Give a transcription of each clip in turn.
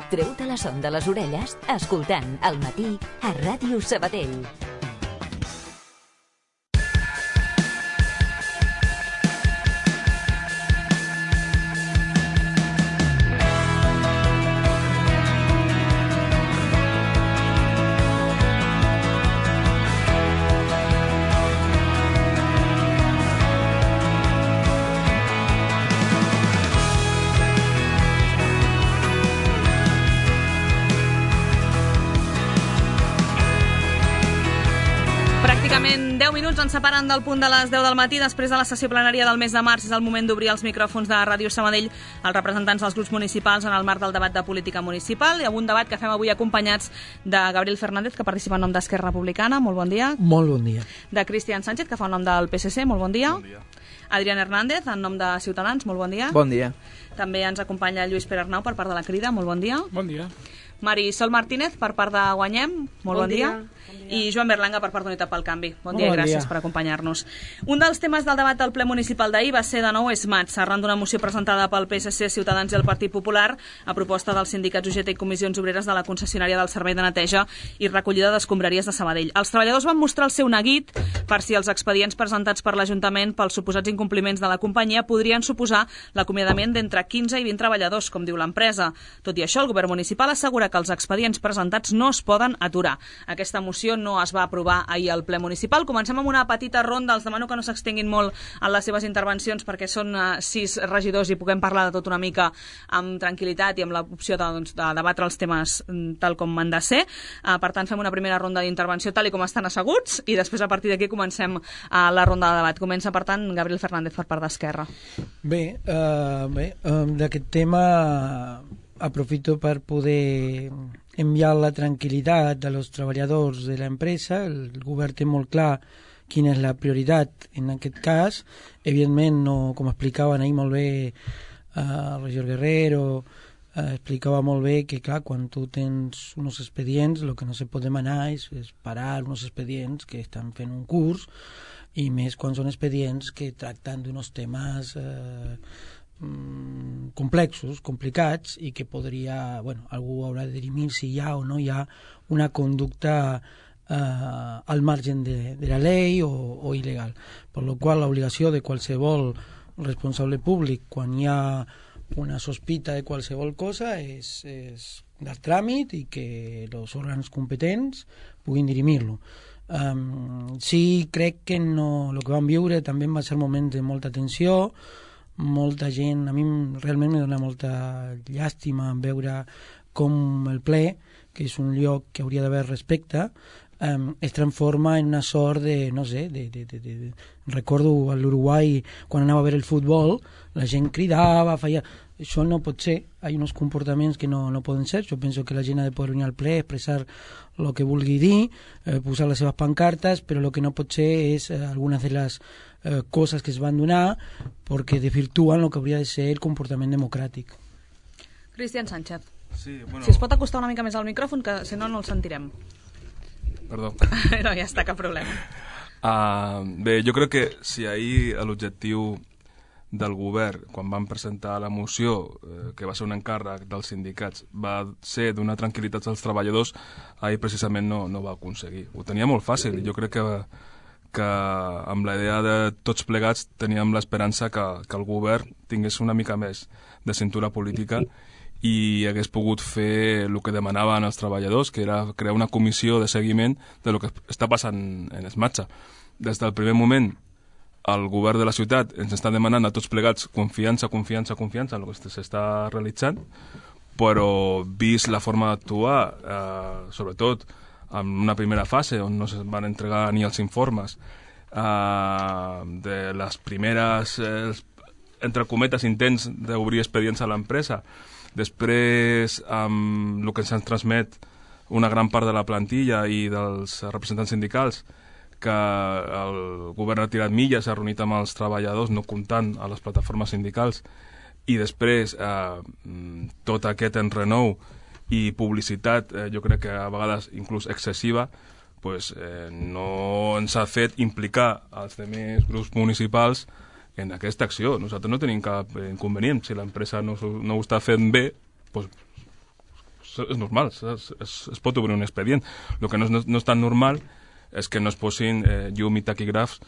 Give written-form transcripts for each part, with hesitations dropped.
Treu-te la son de les orelles escoltant El Matí a Ràdio Sabadell. Pràcticament 10 minuts ens separen del punt de les 10 del matí. Després de la sessió plenària del mes de març és el moment d'obrir els micròfons de Ràdio Sabadell als representants dels grups municipals en el marc del debat de política municipal. Hi ha un debat que fem avui acompanyats de Gabriel Fernández, que participa en nom d'Esquerra Republicana. Molt bon dia. Molt bon dia. De Cristian Sánchez, que fa en nom del PSC. Molt bon dia. Bon dia. Adrián Hernández, en nom de Ciutadans. Molt bon dia. Bon dia. També ens acompanya Lluís Pere Arnau per part de la Crida. Molt bon dia. Bon dia. Marisol Martínez per part de Guanyem. Molt bon dia. I Joan Berlanga per part d'Unitat pel Canvi. Bon dia i gràcies per acompanyar-nos. Un dels temes del debat del ple municipal d'ahir va ser de nou ESMATS, arran d'una moció presentada pel PSC, Ciutadans i el Partit Popular a proposta dels sindicats UGT i comissions obreres de la concessionària del servei de neteja i recollida d'escombraries de Sabadell. Els treballadors van mostrar el seu neguit per si els expedients presentats per l'Ajuntament pels suposats incompliments de la companyia podrien suposar l'acomiadament d'entre 15 i 20 treballadors, com diu l'empresa. Tot i això, el govern municipal assegura que els expedients presentats no es poden aturar. Aquesta moció no es va aprovar ahir al ple municipal. Comencem amb una petita ronda. Els demano que no s'extenguin molt en les seves intervencions perquè són 6 regidors i puguem parlar de tot una mica amb tranquil·litat i amb l'opció de debatre els temes tal com han de ser. Per tant, fem una primera ronda d'intervenció tal i com estan asseguts i després a partir d'aquí comencem la ronda de debat. Comença, per tant, Gabriel Fernández per part d'Esquerra. Bé, d'aquest tema aprofito per poder enviar la tranquil·litat dels treballadors de l'empresa. El govern té molt clar quina és la prioritat en aquest cas. Evidentment, no, com explicaven ahir molt bé el regidor Guerrero, explicava molt bé que, clar, quan tu tens uns expedients, el que no se pot demanar és parar uns expedients que estan fent un curs, i més quan són expedients que tracten d'uns temes complexos, complicats, i que podria, algú haurà de dirimir si hi ha o no hi ha una conducta al margen de la llei o il·legal. Per la qual l'obligació de qualsevol responsable públic, quan hi ha una sospita de qualsevol cosa, és dar tràmit i que els òrgans competents puguin dirimir-lo. Sí, crec que no, el que vam viure també va ser moments de molta tensió, molta gent, a mi realment me dona molta llàstima veure com el ple, que és un lloc que hauria d'haver respecte, es transforma en una sort de, no sé, recordo a l'Uruguai quan anava a veure el futbol, la gent cridava, feia... Això no pot ser, hi ha uns comportaments que no poden ser. Jo penso que la gent ha de poder venir al ple, expressar el que vulgui dir, posar les seves pancartes, però el que no pot ser és algunes de les coses que es van donar perquè desvirtuen el que hauria de ser el comportament democràtic. Cristian Sánchez. Sí, bueno... Si es pot acostar una mica més al micròfon, que si no, no el sentirem. Perdó. No, ja està, cap problema. Bé, jo crec que si ahir l'objectiu del govern, quan van presentar la moció, que va ser un encàrrec dels sindicats, va ser donar tranquil·litat als treballadors, ahir precisament no va aconseguir. Ho tenia molt fàcil. Jo crec que amb la idea de tots plegats teníem l'esperança que el govern tingués una mica més de cintura política i hagués pogut fer el que demanaven els treballadors, que era crear una comissió de seguiment de lo que està passant en ESMATS. Des del primer moment, el govern de la ciutat ens està demanant a tots plegats confiança en el que s'està realitzant, però vist la forma d'actuar, sobretot en una primera fase on no es van entregar ni els informes de les primeres, entre cometes, intents d'obrir expedients a l'empresa, després amb el que ens transmet una gran part de la plantilla i dels representants sindicals, que el govern ha tirat milles, ha reunit amb els treballadors, no comptant a les plataformes sindicals, i després tot aquest enrenou i publicitat, jo crec que a vegades inclús excessiva, no ens ha fet implicar els altres grups municipals en aquesta acció. Nosaltres no tenim cap inconvenient. Si l'empresa no ho està fent bé, és normal, es pot obrir un expedient. El que no és tan normal és que no es posin llum i taquígrafs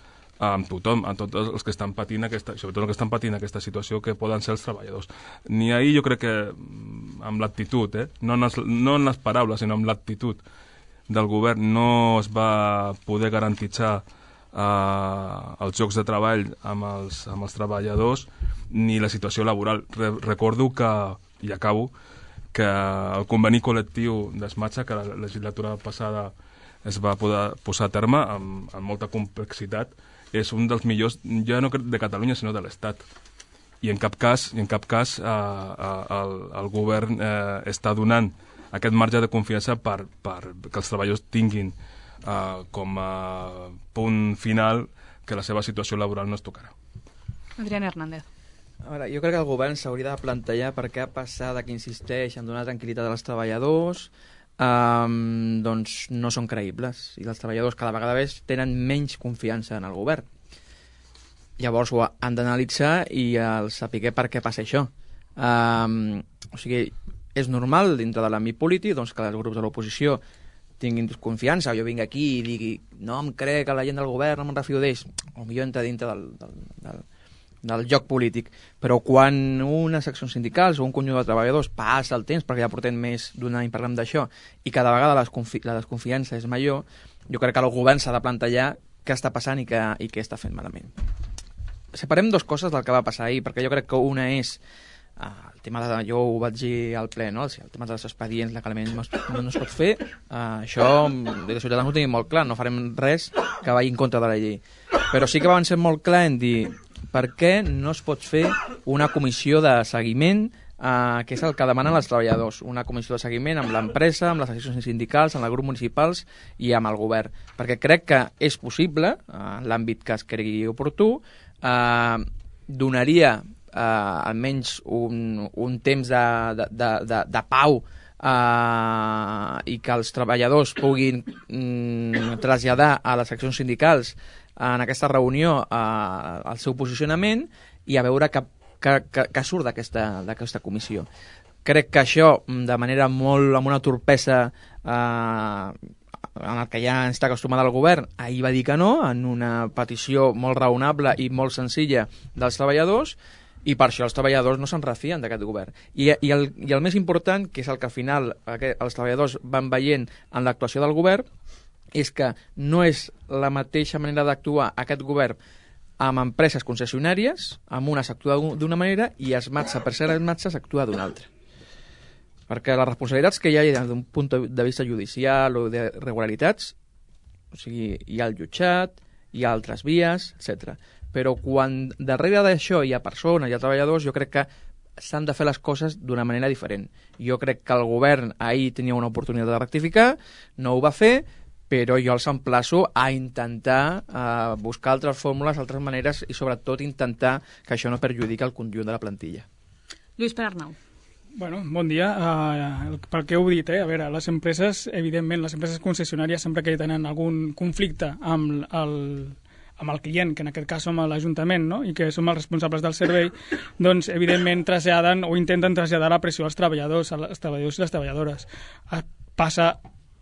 amb tothom, amb tots els que estan patint sobretot els que estan patint aquesta situació, que poden ser els treballadors. Ni ahir jo crec que amb l'actitud, no en les paraules, sinó amb l'actitud del govern, no es va poder garantitzar els llocs de treball amb els treballadors ni la situació laboral. Recordo que, i acabo, que el conveni col·lectiu d'Esmatxa, que la legislatura passada es va poder posar a terme amb molta complexitat, és un dels millors, ja no de Catalunya, sinó de l'Estat. I en cap cas el govern està donant aquest marge de confiança per que els treballadors tinguin com a punt final que la seva situació laboral no es tocarà. Adriana Hernández. A veure, jo crec que el govern s'hauria de plantejar per què passada que insisteix en donar tranquil·litat als treballadors, doncs no són creïbles i els treballadors cada vegada més tenen menys confiança en el govern. Llavors ho han d'analitzar i saber per què passa això. O sigui, és normal dintre de l'àmbit polític doncs, que els grups de l'oposició tinguin desconfiança, jo vinc aquí i digui no em crec que la gent del govern, no me'n refio d'ells, o millor entra dintre del joc polític, però quan unes seccions sindicals o un conjunt de treballadors passa el temps, perquè ja portem més d'un any parlant d'això, i cada vegada la desconfiança és major, jo crec que el govern s'ha de plantejar què està passant i què està fent malament. Separem dues coses del que va passar ahir, perquè jo crec que una és el tema jo ho vaig dir al ple, no? El tema dels expedients legalment no es pot fer, això des de Ciutadans ho tenim molt clar, no farem res que vagi en contra de la llei, però sí que van ser molt clar en dir per què no es pot fer una comissió de seguiment, que és el que demanen els treballadors, una comissió de seguiment amb l'empresa, amb les associacions sindicals, amb els grups municipals i amb el govern, perquè crec que és possible, en l'àmbit que es cregui oportú, donaria almenys un temps de pau i que els treballadors puguin traslladar a les seccions sindicals en aquesta reunió el seu posicionament i a veure què surt d'aquesta comissió. Crec que això, de manera molt amb una torpesa en el que ja està acostumat el govern, ahir va dir que no, en una petició molt raonable i molt senzilla dels treballadors, i per això els treballadors no se'n refien d'aquest govern. I el més important, que és el que al final els treballadors van veient en l'actuació del govern, és que no és la mateixa manera d'actuar aquest govern amb empreses concessionàries, amb una s'actua d'una manera i Esmatxa, per ser Esmatxa, s'actua d'una altra. Perquè les responsabilitats que hi ha des d'un punt de vista judicial o de regularitats, o sigui, hi ha el jutjat, hi ha altres vies, etc. Però quan darrere d'això hi ha persones, hi ha treballadors, jo crec que s'han de fer les coses d'una manera diferent. Jo crec que el govern ahir tenia una oportunitat de rectificar, no ho va fer, però jo els emplaço a intentar buscar altres fórmules, altres maneres i sobretot intentar que això no perjudiqui el conjunt de la plantilla. Lluís Pere Arnau. Bueno, bon dia. Pel que heu dit, a veure, les empreses, evidentment, les empreses concessionàries sempre que tenen algun conflicte amb el client, que en aquest cas som l'Ajuntament, no? I que som els responsables del servei, doncs evidentment traslladen o intenten traslladar la pressió als treballadors i les treballadores. Passa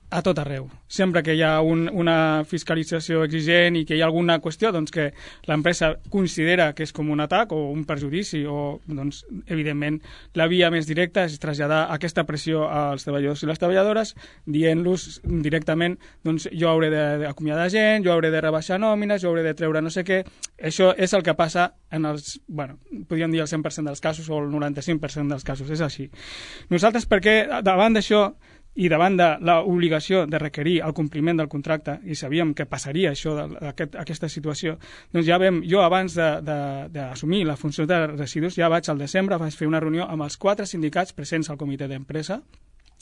a tot arreu. Sempre que hi ha una fiscalització exigent i que hi ha alguna qüestió doncs, que l'empresa considera que és com un atac o un perjudici, o, doncs, evidentment, la via més directa és traslladar aquesta pressió als treballadors i les treballadores, dient-los directament doncs, jo hauré d'acomiadar gent, jo hauré de rebaixar nòmines, jo hauré de treure no sé què. Això és el que passa en els, podríem dir el 100% dels casos o el 95% dels casos, és així. Nosaltres, perquè davant d'això i davant de l'obligació de requerir el compliment del contracte, i sabíem que passaria això, aquesta situació, doncs ja jo abans d'assumir la funció de residus, ja vaig al desembre, vaig fer una reunió amb els 4 sindicats presents al comitè d'empresa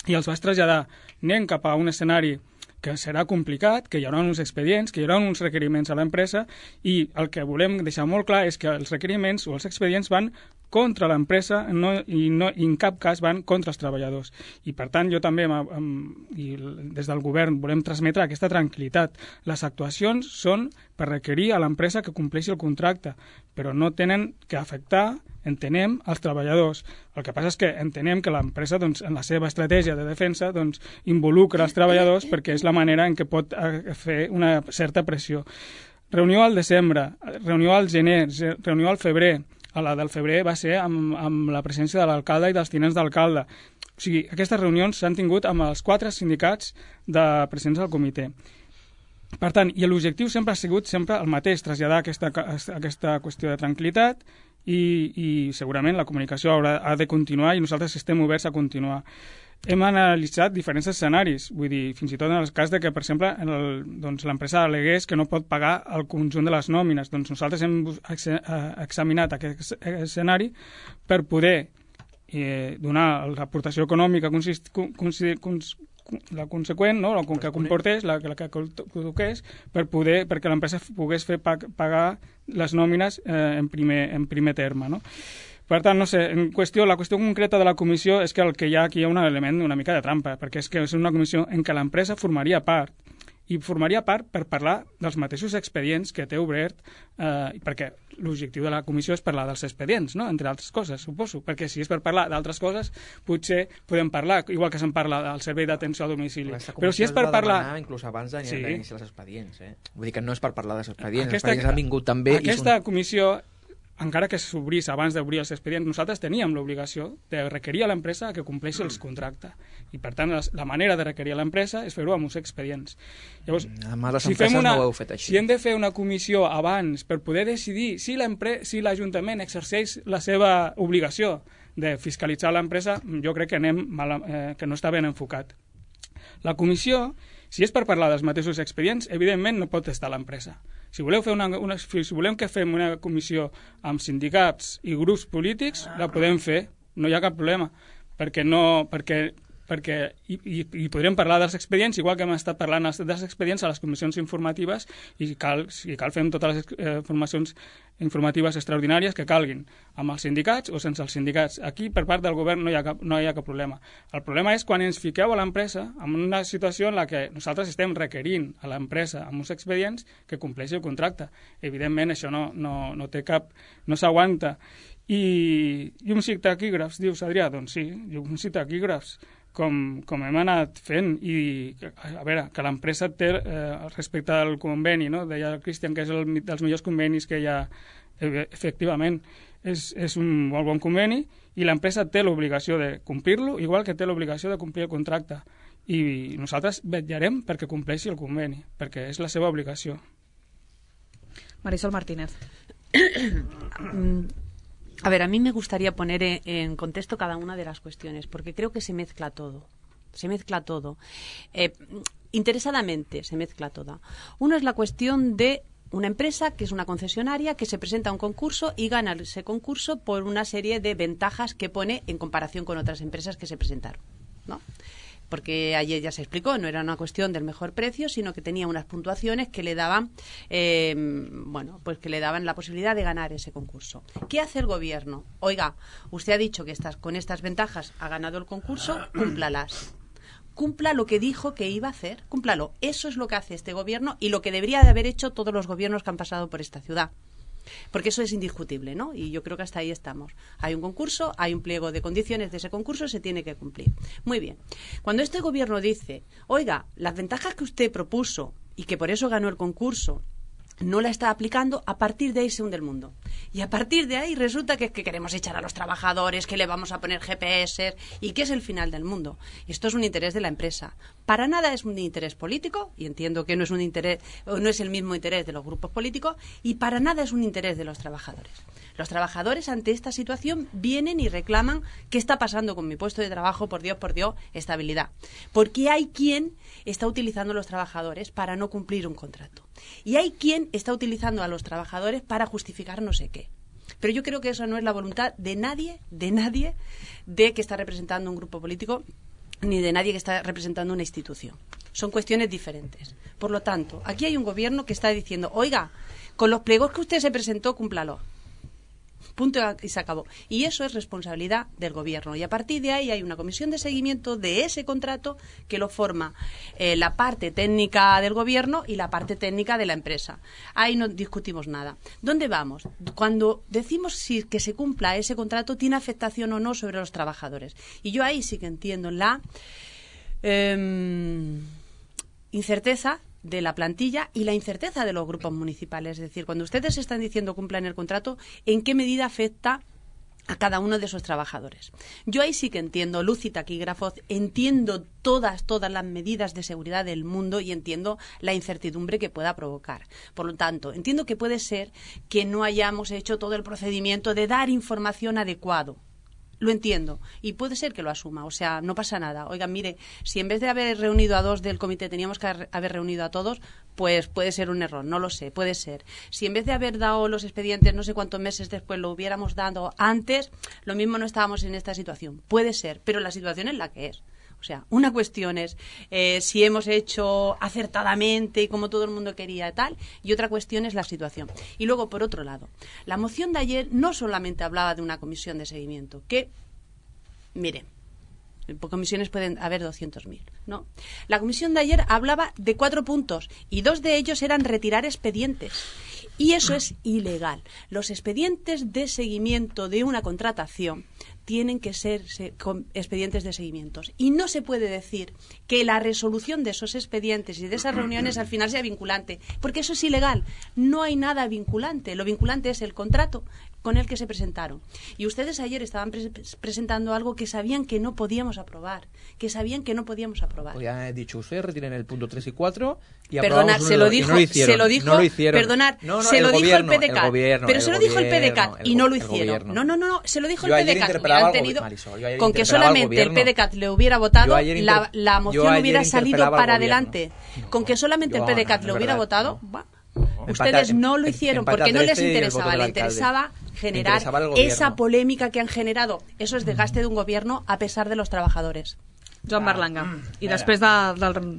i els vaig traslladar, anem cap a un escenari que serà complicat, que hi haurà uns expedients, que hi haurà uns requeriments a l'empresa, i el que volem deixar molt clar és que els requeriments o els expedients van contra l'empresa i en cap cas van contra els treballadors. I per tant jo també des del govern volem transmetre aquesta tranquil·litat. Les actuacions són per requerir a l'empresa que compleixi el contracte, però no tenen que afectar, entenem, els treballadors. El que passa és que entenem que l'empresa, doncs, en la seva estratègia de defensa, doncs, involucra els treballadors perquè és la manera en què pot fer una certa pressió. Reunió al desembre, reunió al gener, reunió al febrer. A la del febrer va ser amb la presència de l'alcalde i dels tinents d'alcalde. O sigui, aquestes reunions s'han tingut amb els 4 sindicats de presents al comitè. Per tant, i l'objectiu sempre ha sigut el mateix, traslladar aquesta qüestió de tranquil·litat i segurament la comunicació ha de continuar i nosaltres estem oberts a continuar. Hem analitzat diferents escenaris, vull dir, fins i tot en el cas de que, per exemple, l'empresa al·legués que no pot pagar el conjunt de les nòmines. Doncs nosaltres hem examinat aquest escenari per poder donar l'aportació econòmica la conseqüent, no? La que comportés, la que toqués, perquè l'empresa pogués fer pagar les nòmines en primer terme, no? Per tant, no sé, la qüestió concreta de la comissió és que el que hi ha aquí hi ha un element una mica de trampa, perquè és que és una comissió en què l'empresa formaria part, i formaria part per parlar dels mateixos expedients que té obert, perquè l'objectiu de la comissió és parlar dels expedients, no? Entre altres coses, suposo, perquè si és per parlar d'altres coses, potser podem parlar, igual que se'n parla del servei d'atenció a domicili. Però si és per parlar... inclús abans d'iniciar els expedients, Vull dir que no és per parlar dels expedients, els expedients han vingut també... Aquesta comissió, encara que s'obrís abans d'obrir els expedients, nosaltres teníem l'obligació de requerir a l'empresa que compleixi els contractes. I, per tant, la manera de requerir a l'empresa és fer-ho amb uns expedients. Llavors, si hem de fer una comissió abans per poder decidir si l'Ajuntament exerceix la seva obligació de fiscalitzar l'empresa, jo crec que que no està ben enfocat. La comissió, si és per parlar dels mateixos expedients, evidentment no pot estar l'empresa. Si voleu que fem una comissió amb sindicats i grups polítics, la podem fer, no hi ha cap problema, i podrem parlar dels expedients, igual que hem estat parlant dels expedients a les comissions informatives, i si cal fem totes les formacions informatives extraordinàries que calguin, amb els sindicats o sense els sindicats. Aquí, per part del govern, no hi ha cap problema. El problema és quan ens fiqueu a l'empresa en una situació en la que nosaltres estem requerint a l'empresa amb uns expedients que compleixi el contracte. Evidentment, això no té cap... no s'aguanta. I uns taquígrafs, dius, Adrià? Doncs sí, uns taquígrafs, com hem anat fent, i a veure, que l'empresa té respecte al conveni, no? Deia el Cristian que és dels millors convenis que hi ha, efectivament és un molt bon conveni, i l'empresa té l'obligació de complir-lo, igual que té l'obligació de complir el contracte, i nosaltres vetllarem perquè compleixi el conveni, perquè és la seva obligació. Marisol Martínez. A ver, a mí me gustaría poner en contexto cada una de las cuestiones, porque creo que se mezcla todo. Interesadamente se mezcla todo. Uno es la cuestión de una empresa que es una concesionaria que se presenta a un concurso y gana ese concurso por una serie de ventajas que pone en comparación con otras empresas que se presentaron, ¿no? Porque ayer ya se explicó, no era una cuestión del mejor precio, sino que tenía unas puntuaciones que le daban, pues que le daban la posibilidad de ganar ese concurso. ¿Qué hace el gobierno? Oiga, usted ha dicho que con estas ventajas ha ganado el concurso, cúmplalas. Cumpla lo que dijo que iba a hacer, cúmplalo. Eso es lo que hace este gobierno y lo que debería de haber hecho todos los gobiernos que han pasado por esta ciudad. Porque eso es indiscutible, ¿no? Y yo creo que hasta ahí estamos. Hay un concurso, hay un pliego de condiciones de ese concurso, se tiene que cumplir. Muy bien. Cuando este gobierno dice, oiga, las ventajas que usted propuso y que por eso ganó el concurso, no la está aplicando, a partir de ahí se hunde el mundo. Y a partir de ahí resulta que queremos echar a los trabajadores, que le vamos a poner GPS y que es el final del mundo. Esto es un interés de la empresa. Para nada es un interés político, y entiendo que no es un interés, no es el mismo interés de los grupos políticos, y para nada es un interés de los trabajadores. Los trabajadores ante esta situación vienen y reclaman qué está pasando con mi puesto de trabajo, por Dios, estabilidad. Porque hay quien está utilizando a los trabajadores para no cumplir un contrato. Y hay quien está utilizando a los trabajadores para justificar no sé qué. Pero yo creo que eso no es la voluntad de nadie de que está representando un grupo político, ni de nadie que está representando una institución. Son cuestiones diferentes. Por lo tanto, aquí hay un gobierno que está diciendo, oiga, con los pliegos que usted se presentó, cúmplalo. Punto y se acabó. Y eso es responsabilidad del gobierno. Y a partir de ahí hay una comisión de seguimiento de ese contrato que lo forma la parte técnica del gobierno y la parte técnica de la empresa. Ahí no discutimos nada. ¿Dónde vamos? Cuando decimos si que se cumpla ese contrato, ¿tiene afectación o no sobre los trabajadores? Y yo ahí sí que entiendo la incerteza de la plantilla y la incerteza de los grupos municipales. Es decir, cuando ustedes están diciendo cumplan el contrato, ¿en qué medida afecta a cada uno de esos trabajadores? Yo ahí sí que entiendo luz y taquígrafos, entiendo todas las medidas de seguridad del mundo y entiendo la incertidumbre que pueda provocar. Por lo tanto, entiendo que puede ser que no hayamos hecho todo el procedimiento de dar información adecuado. Lo entiendo. Y puede ser que lo asuma. O sea, no pasa nada. Oigan, mire, si en vez de haber reunido a 2 del comité teníamos que haber reunido a todos, pues puede ser un error. No lo sé. Puede ser. Si en vez de haber dado los expedientes no sé cuántos meses después lo hubiéramos dado antes, lo mismo no estábamos en esta situación. Puede ser. Pero la situación es la que es. O sea, una cuestión es si hemos hecho acertadamente y como todo el mundo quería tal, y otra cuestión es la situación. Y luego, por otro lado, la moción de ayer no solamente hablaba de una comisión de seguimiento, que, mire, comisiones pueden haber 200.000, ¿no? La comisión de ayer hablaba de 4 puntos y 2 de ellos eran retirar expedientes. Y eso es ilegal. Los expedientes de seguimiento de una contratación tienen que ser expedientes de seguimientos. Y no se puede decir que la resolución de esos expedientes y de esas reuniones al final sea vinculante, porque eso es ilegal. No hay nada vinculante. Lo vinculante es el contrato con el que se presentaron. Y ustedes ayer estaban presentando algo que sabían que no podíamos aprobar. Podrían haber dicho, ustedes retiren el punto 3 y 4 y Perdonar, se lo dijo, perdonar, no, se lo dijo el PDCAT, pero se lo dijo el PDCAT y no lo hicieron. No, se lo dijo el PDCAT. Con que solamente el PDCAT le hubiera votado, la moción hubiera salido para adelante. Con que solamente el PDCAT le hubiera votado, ustedes no lo hicieron porque no les interesaba, les interesaba generar esa polémica que han generado. Eso es desgaste de un gobierno a pesar de los trabajadores. Joan Berlanga. I després de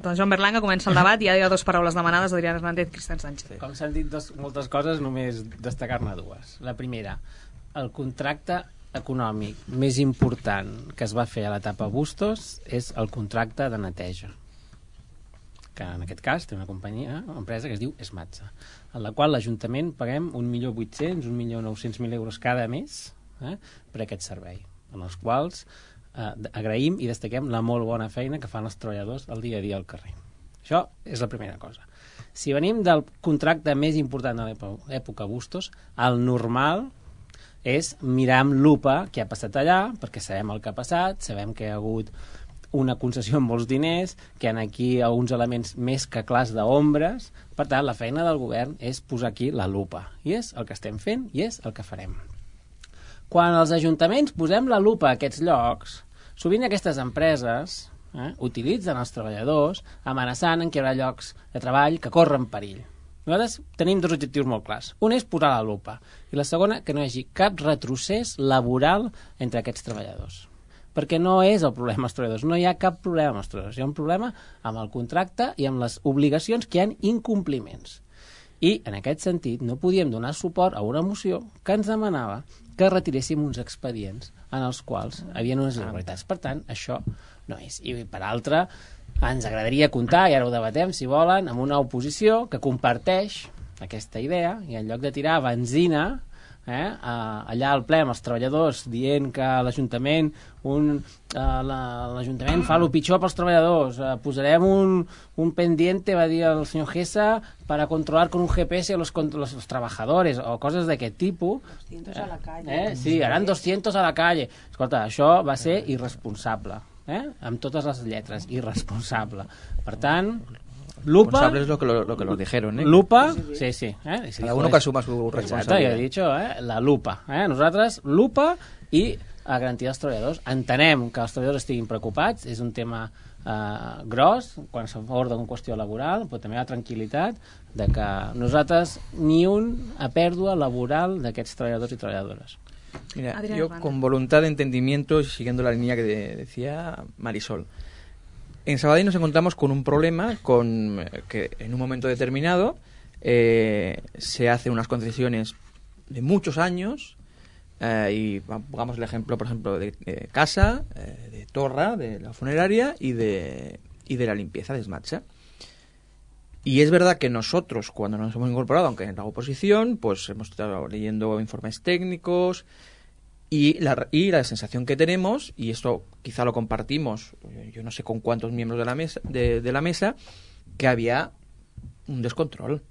Joan Berlanga comença el debat i hi ha 2 paraules demanades d'Adrià Hernández i Cristian Sánchez. Com s'han dit moltes coses, només destacar-ne 2. La primera, el contracte econòmic més important que es va fer a l'etapa Bustos és el contracte de neteja, que en aquest cas té una companyia, una empresa que es diu Esmatsa, en la qual l'Ajuntament paguem 1.800.000, 1.900.000 euros cada mes per aquest servei, en els quals agraïm i destaquem la molt bona feina que fan els treballadors el dia a dia al carrer. Això és la primera cosa. Si venim del contracte més important de l'època Bustos, el normal és mirar amb lupa què ha passat allà, perquè sabem el que ha passat, sabem que hi ha hagut una concessió amb molts diners, que hi ha aquí alguns elements més que clars d'ombres. Per tant, la feina del govern és posar aquí la lupa. I és el que estem fent i és el que farem. Quan els ajuntaments posem la lupa a aquests llocs, sovint aquestes empreses utilitzen els treballadors amenaçant en que hi haurà llocs de treball que corren perill. Nosaltres tenim 2 objectius molt clars. Un és posar la lupa i la segona, que no hi hagi cap retrocés laboral entre aquests treballadors. Perquè no és el problema als treballadors, no hi ha cap problema amb els treballadors, hi ha un problema amb el contracte i amb les obligacions que hi ha incompliments. I, en aquest sentit, no podíem donar suport a una moció que ens demanava que retiréssim uns expedients en els quals hi havia unes irregularitats. Per tant, això no és. I, per altra, ens agradaria comptar, i ara ho debatem, si volen, amb una oposició que comparteix aquesta idea i en lloc de tirar benzina allà al ple amb els treballadors dient que l'Ajuntament l'Ajuntament fa el pitjor pels treballadors, posarem un pendiente, va dir el senyor Gesa, para controlar con un GPS a los trabajadores o coses d'aquest tipus. 200 a la calle. Sí, harán 200 a la calle. Escolta, això va ser irresponsable, amb totes les lletres, irresponsable. Per tant, lupa. Responsables lo que lo dijeron, Lupa, sí. Cada uno que asuma su responsabilidad. Exacte, he dicho, la lupa. Nosaltres, lupa i a garantir els treballadors. Entenem que els treballadors estiguin preocupats, és un tema gros, quan s'aborda una qüestió laboral, però també la tranquil·litat de que nosaltres ni una pèrdua laboral d'aquests treballadors i treballadores. Mira, yo con voluntad de entendimiento, siguiendo la línea que decía Marisol, en Sabadell nos encontramos con un problema que en un momento determinado se hacen unas concesiones de muchos años y pongamos el ejemplo, por ejemplo, de casa, de Torra, de la funeraria y de la limpieza de Smatsa. Y es verdad que nosotros, cuando nos hemos incorporado, aunque en la oposición, pues hemos estado leyendo informes técnicos y la sensación que tenemos, y esto quizá lo compartimos, yo no sé con cuántos miembros de la mesa, que había un descontrol.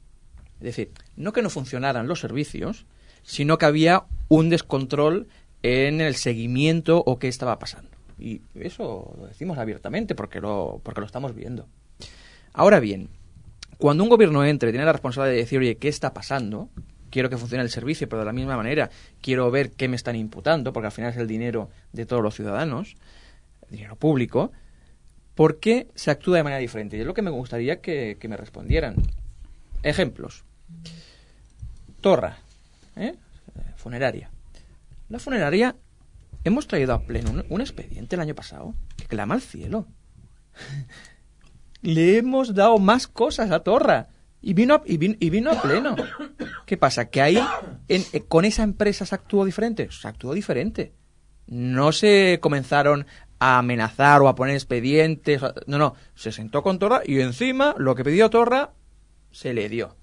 Es decir, no que no funcionaran los servicios, sino que había un descontrol en el seguimiento o qué estaba pasando. Y eso lo decimos abiertamente porque lo estamos viendo. Ahora bien, cuando un gobierno tiene la responsabilidad de decir, oye, ¿qué está pasando? Quiero que funcione el servicio, pero de la misma manera quiero ver qué me están imputando, porque al final es el dinero de todos los ciudadanos, dinero público. ¿Por qué se actúa de manera diferente? Y es lo que me gustaría que me respondieran. Ejemplos. Torra, funeraria. La funeraria, hemos traído a pleno un expediente el año pasado que clama al cielo. Le hemos dado más cosas a Torra y vino a pleno. ¿Qué pasa? ¿Que ahí con esa empresa se actuó diferente? Se actuó diferente. No se comenzaron a amenazar o a poner expedientes. No. Se sentó con Torra y encima lo que pidió Torra se le dio.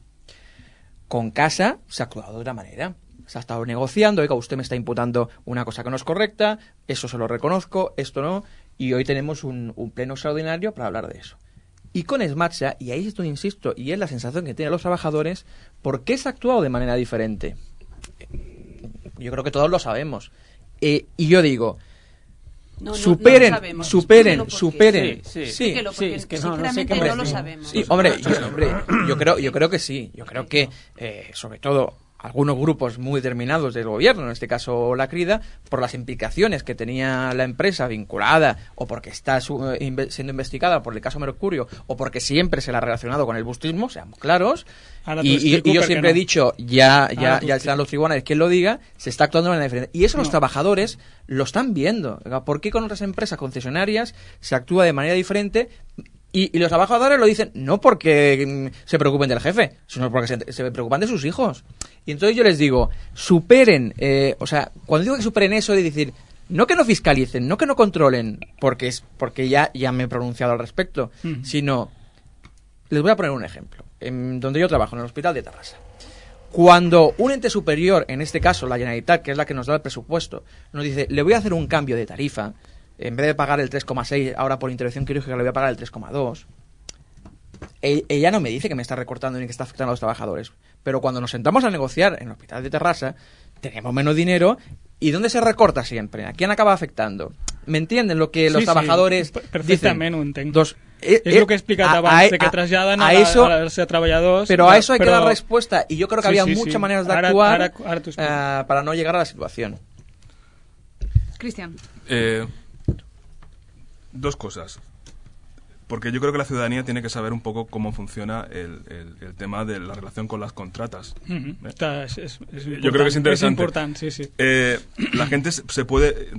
Con Casa se ha actuado de otra manera. Se ha estado negociando. Oiga, usted me está imputando una cosa que no es correcta. Eso se lo reconozco, esto no. Y hoy tenemos un pleno extraordinario para hablar de eso. Y con Smatsa, y ahí esto insisto, y es la sensación que tienen los trabajadores, ¿por qué se ha actuado de manera diferente? Yo creo que todos lo sabemos. Y yo digo, superen. Sí, es que no lo sabemos. Sí, hombre, yo creo que sí. Yo creo que, sobre todo, algunos grupos muy determinados del gobierno, en este caso la Crida, por las implicaciones que tenía la empresa vinculada o porque está siendo investigada por el caso Mercurio o porque siempre se la ha relacionado con el bustismo, seamos claros, y yo siempre he dicho, ya serán los tribunales quien lo diga, se está actuando de manera diferente. Y eso los trabajadores lo están viendo. ¿Por qué con otras empresas concesionarias se actúa de manera diferente? Y los trabajadores lo dicen no porque se preocupen del jefe, sino porque se preocupan de sus hijos. Y entonces yo les digo, superen, cuando digo que superen eso de decir, no que no fiscalicen, no que no controlen, porque ya me he pronunciado al respecto, sino, les voy a poner un ejemplo. Donde yo trabajo, en el Hospital de Tarrasa. Cuando un ente superior, en este caso la Generalitat, que es la que nos da el presupuesto, nos dice, le voy a hacer un cambio de tarifa, en vez de pagar el 3,6, ahora por intervención quirúrgica le voy a pagar el 3,2. Ella no me dice que me está recortando ni que está afectando a los trabajadores. Pero cuando nos sentamos a negociar en el Hospital de Tarrasa, tenemos menos dinero. ¿Y dónde se recorta siempre? ¿A quién acaba afectando? ¿Me entienden lo que los trabajadores perfectament dicen? Ho entenc. És el que he explicat abans, de que traslladen als treballadors... Pero a eso hay que dar respuesta. Y yo creo que había muchas maneras de actuar para no llegar a la situación. Cristian. Dos cosas. Porque yo creo que la ciudadanía tiene que saber un poco cómo funciona el tema de la relación con las contratas. Yo creo que es interesante. Es importante, sí. La gente se puede,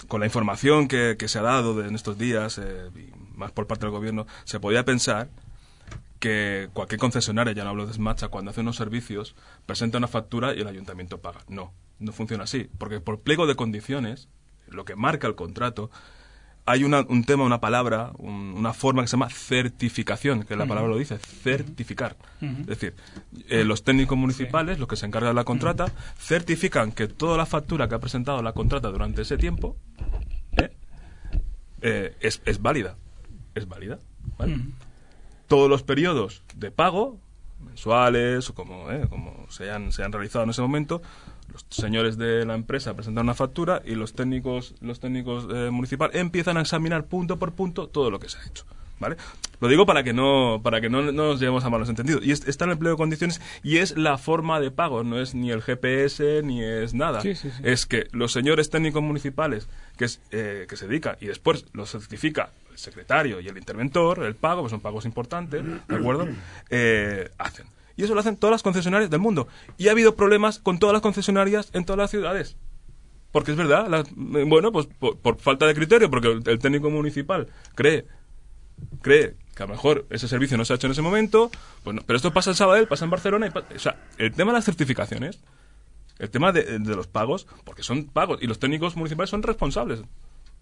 con la información que se ha dado en estos días, más por parte del gobierno, se podía pensar que cualquier concesionaria, ya no hablo de Smatsa, cuando hace unos servicios, presenta una factura y el ayuntamiento paga. No funciona así. Porque por pliego de condiciones, lo que marca el contrato, hay un tema, una palabra, una forma que se llama certificación, que la palabra lo dice, certificar. Es decir, los técnicos municipales, los que se encargan de la contrata, certifican que toda la factura que ha presentado la contrata durante ese tiempo es válida. Es válida, ¿vale? Todos los periodos de pago, mensuales o como se han realizado en ese momento, los señores de la empresa presentan una factura y los técnicos municipales empiezan a examinar punto por punto todo lo que se ha hecho, ¿vale? Lo digo para que no nos llevemos a malos entendidos. Y está en el pliego de condiciones y es la forma de pago, no es ni el GPS ni es nada. Sí. Es que los señores técnicos municipales que se dedican y después lo certifica el secretario y el interventor, el pago, que son pagos importantes, ¿de acuerdo? Hacen. Y eso lo hacen todas las concesionarias del mundo. Y ha habido problemas con todas las concesionarias en todas las ciudades. Porque es verdad, pues por falta de criterio, porque el técnico municipal cree que a lo mejor ese servicio no se ha hecho en ese momento, pues no, pero esto pasa en Sabadell, pasa en Barcelona, o sea, el tema de las certificaciones El tema de los pagos, porque son pagos, y los técnicos municipales son responsables.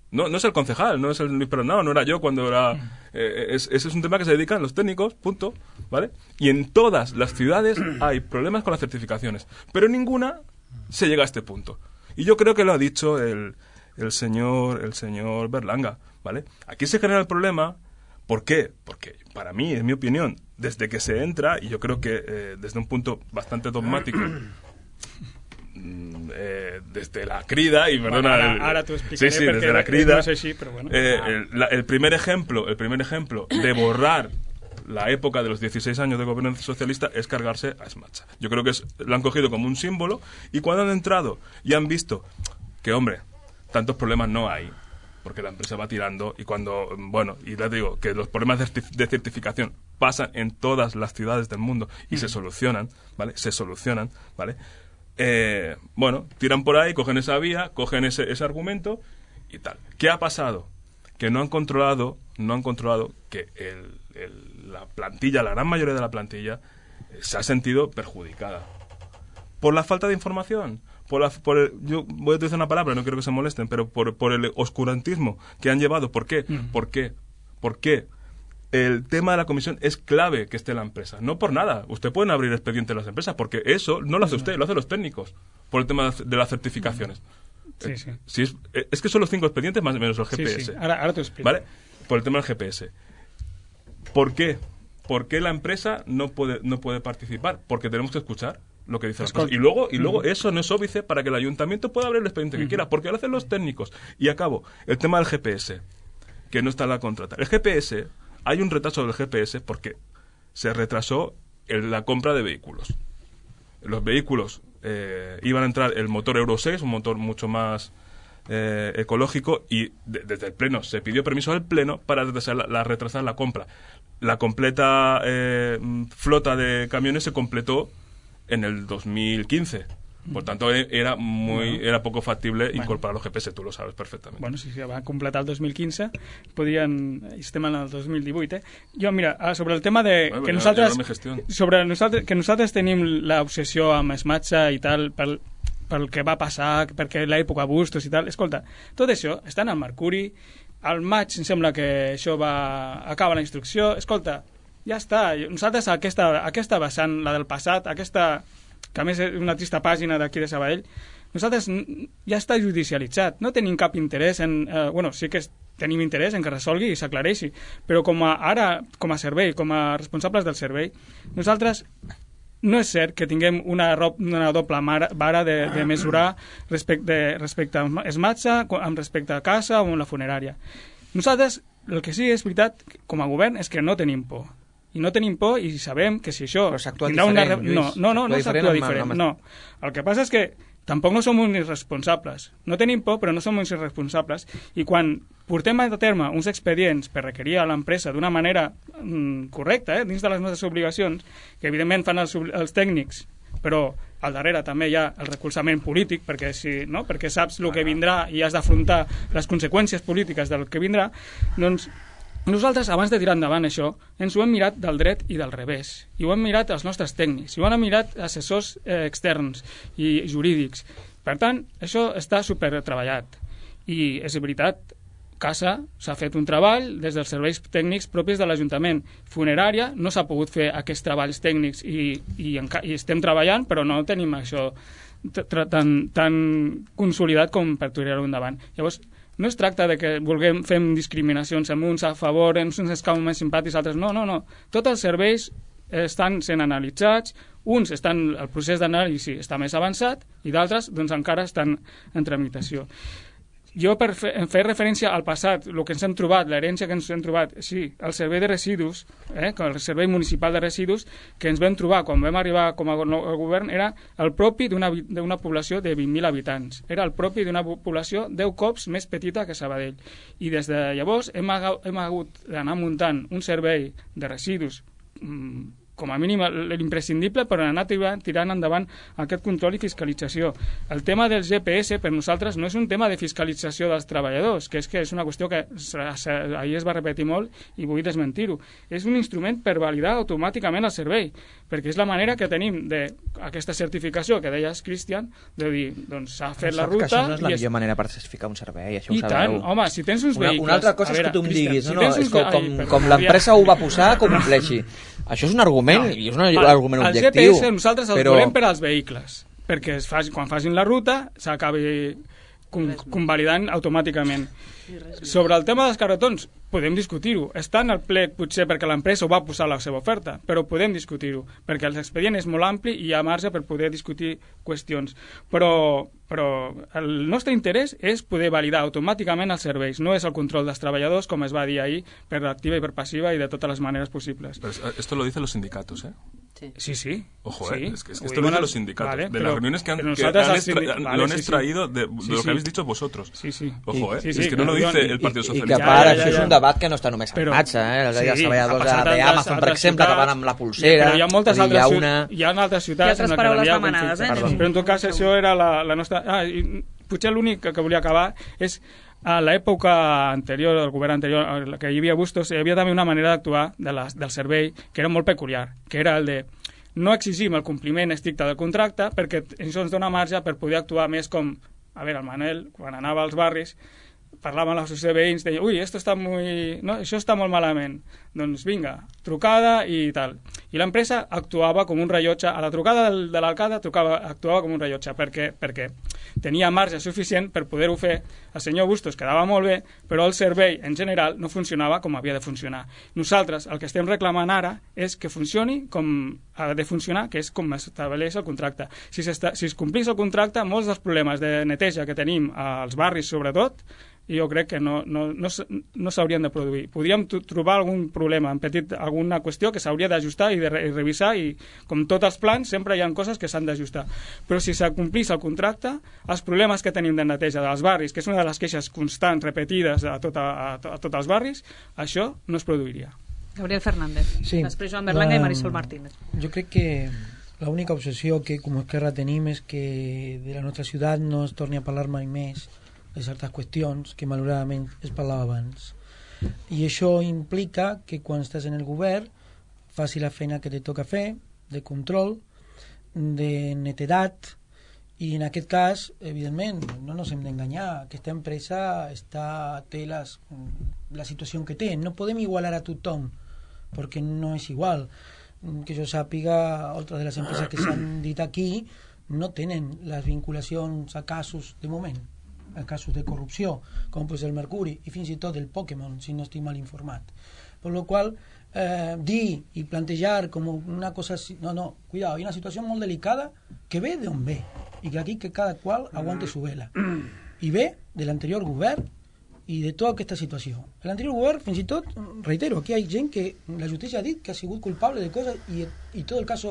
No es el concejal, no es el Luis Pérez, no era yo cuando era... ese es un tema que se dedican los técnicos, punto, ¿vale? Y en todas las ciudades hay problemas con las certificaciones, pero en ninguna se llega a este punto. Y yo creo que lo ha dicho el señor Berlanga, ¿vale? Aquí se genera el problema. ¿Por qué? Porque para mí, en mi opinión, desde que se entra, y yo creo que desde un punto bastante dogmático, desde la crida, y perdona... Ahora t'ho explicaré, sí, desde la crida, no és així, però bueno. el primer ejemplo de borrar la época de los 16 años de gobierno socialista es cargarse a Smatsa. Yo creo que lo han cogido como un símbolo, y cuando han entrado y han visto que, hombre, tantos problemas no hay, porque la empresa va tirando, y cuando, bueno, y les digo que los problemas de certificación pasan en todas las ciudades del mundo y se solucionan, ¿vale? Bueno, tiran por ahí, cogen esa vía, cogen ese argumento y tal. ¿Qué ha pasado? Que no han controlado que la plantilla, la gran mayoría de la plantilla, se ha sentido perjudicada por la falta de información, yo voy a utilizar una palabra, no quiero que se molesten, pero por el oscurantismo que han llevado. ¿Por qué? ¿Por qué? El tema de la comisión es clave que esté la empresa. No por nada. Usted pueden abrir expediente en las empresas, porque eso no lo hace usted, lo hacen los técnicos, por el tema de las certificaciones. Sí. Es que son los 5 expedientes más o menos el GPS. Sí. Ahora te explico. ¿Vale? Por el tema del GPS. ¿Por qué? ¿Por qué la empresa no puede participar? Porque tenemos que escuchar lo que dice la empresa. Y luego eso no es óbice para que el ayuntamiento pueda abrir el expediente que quiera, porque lo hacen los técnicos. Y acabo, el tema del GPS, que no está en la contrata. El GPS, hay un retraso del GPS porque se retrasó la compra de vehículos. Los vehículos iban a entrar el motor Euro 6, un motor mucho más ecológico, y desde el Pleno se pidió permiso al Pleno para retrasar la compra. La completa flota de camiones se completó en el 2015. Por tanto, era poco factible incorporar los GPS, tu lo sabes perfectament. Bueno, si va completar el 2015, estem en el 2018, Jo, mira, sobre el tema de... que nosaltres tenim l'obsessió amb Smatsa i tal, pel que va passar, perquè l'època Bustos i tal, escolta, tot això està en el Mercuri, al maig em sembla que això acaba la instrucció, escolta, ja està, nosaltres aquesta vessant, la del passat, aquesta... que a més és una trista pàgina d'aquí de Sabadell, nosaltres ja està judicialitzat, no tenim cap interès en... sí que tenim interès en que resolgui i s'aclareixi, però com a servei, com a responsables del servei, nosaltres no és cert que tinguem una doble vara de mesurar respecte a Smatsa, amb respecte a casa o a la funerària. Nosaltres, el que sí és veritat, com a govern, és que no tenim por. I no tenim por i sabem que si això... Però s'actua diferent, Lluís. No s'actua diferent. No. El que passa és que tampoc no som uns irresponsables. No tenim por, però no som uns irresponsables. I quan portem a terme uns expedients per requerir a l'empresa d'una manera correcta, dins de les nostres obligacions, que evidentment fan els tècnics, però al darrere també hi ha el recolzament polític, perquè saps el que vindrà i has d'afrontar les conseqüències polítiques del que vindrà, doncs nosaltres, abans de tirar endavant això, ens ho hem mirat del dret i del revés. I ho hem mirat els nostres tècnics, i ho han mirat assessors externs i jurídics. Per tant, això està supertreballat. I és veritat, Casa s'ha fet un treball des dels serveis tècnics propis de l'Ajuntament. Funerària no s'ha pogut fer aquests treballs tècnics i estem treballant, però no tenim això tan consolidat com per tirar-ho endavant. Llavors, no es tracta de que fem discriminacions amb uns a favor, uns ens cauen més simpàtics, altres no. Tots els serveis estan sent analitzats, uns el procés d'anàlisi està més avançat i d'altres doncs, encara estan en tramitació. Jo, per fer referència al passat, el que ens hem trobat, l'herència que ens hem trobat, sí, el servei de residus, el servei municipal de residus, que ens vam trobar quan vam arribar com a govern, era el propi d'una població de 20.000 habitants. Era el propi d'una població 10 cops més petita que Sabadell. I des de llavors hem hagut d'anar muntant un servei de residus com a mínim l'imprescindible per anar tirant endavant aquest control i fiscalització. El tema del GPS per nosaltres no és un tema de fiscalització dels treballadors, que és una qüestió que ahir es va repetir molt i vull desmentir-ho. És un instrument per validar automàticament el servei, perquè és la manera que tenim d'aquesta certificació que deies, Cristian, de dir, doncs s'ha fet la ruta... Això no és la millor manera per certificar un servei, això ho sabeu. I tant, home, si tens uns vehicles... Una altra cosa és que tu em diguis, com l'empresa ho va posar, que ho compleixi. Això és un argument, i és un argument objectiu. El GPS nosaltres el volem per als vehicles, perquè quan facin la ruta s'acabi convalidant automàticament. Sobre el tema dels carretons, podem discutir-ho. Està en el plec, potser perquè l'empresa ho va posar a la seva oferta, però podem discutir-ho, perquè l'expedient és molt ampli i hi ha marge per poder discutir qüestions. Però el nostre interès és poder validar automàticament els serveis, no és el control dels treballadors, com es va dir ahir, per activa i per passiva i de totes les maneres possibles. Pero esto lo dicen los sindicatos, ¿eh? Sí. Ojo, sí. Es que esto lo dicen los sindicatos. Vale, de las reuniones que lo han extraído de lo que habéis dicho vosotros. Sí. Ojo, es que no lo dice el Partido Socialista. I que a part, això és un debat que no està només en marxa, els treballadors d'Amazon, per exemple, que van amb la pulsera. Però hi ha moltes altres ciutats en què hi ha conflictes. Però en tot cas, això era la nostra... Potser l'únic que volia acabar és a l'època anterior, del govern anterior, que hi havia Bustos, hi havia també una manera d'actuar del servei que era molt peculiar, que era el de no exigim el compliment estricte del contracte perquè això ens dona marge per poder actuar més com, a veure, el Manel, quan anava als barris, parlava amb l'associació de veïns, deia, ui, això està molt malament, doncs vinga, trucada i tal. I l'empresa actuava com un rellotge, a la trucada de l'alcalde actuava com un rellotge, perquè tenia marge suficient per poder-ho fer. El senyor Bustos quedava molt bé, però el servei en general no funcionava com havia de funcionar. Nosaltres el que estem reclamant ara és que funcioni com ha de funcionar, que és com estableix el contracte. Si es complís el contracte, molts dels problemes de neteja que tenim als barris, sobretot, jo crec que no s'haurien de produir. Podríem trobar algun problema, alguna qüestió que s'hauria d'ajustar i de revisar, i com tots els plans sempre hi ha coses que s'han d'ajustar. Però si s'acomplís el contracte, els problemes que tenim de neteja dels barris, que és una de les queixes constants, repetides a tots els barris, això no es produiria. Gabriel Fernández, sí. Després Joan Berlanga i Marisol Martínez. Jo crec que la única obsessió que com a Esquerra tenim és que de la nostra ciutat no es torni a parlar mai més de certes qüestions que malauradament es parlava abans. I això implica que quan estàs en el govern faci la feina que te toca fer, de control, de netedat, i en aquest cas, evidentment, no ens hem d'enganyar, aquesta empresa té la situació que té. No podem igualar a tothom, perquè no és igual. Que jo sàpiga, altres de les empreses que s'han dit aquí no tenen les vinculacions a casos de moment, a casos de corrupció, com pues el Mercuri i fins i tot el Pokémon, si no estic mal informat. Per lo qual, dir i plantejar com una cosa así, no, cuidado, hi ha una situació molt delicada que ve d'on ve, i que aquí que cada qual aguante su vela. I ve de l'anterior govern i de tota aquesta situació. L'anterior govern, fins i tot, reitero, aquí hi ha gent que la justícia ha dit que ha sigut culpable de coses i tot el cas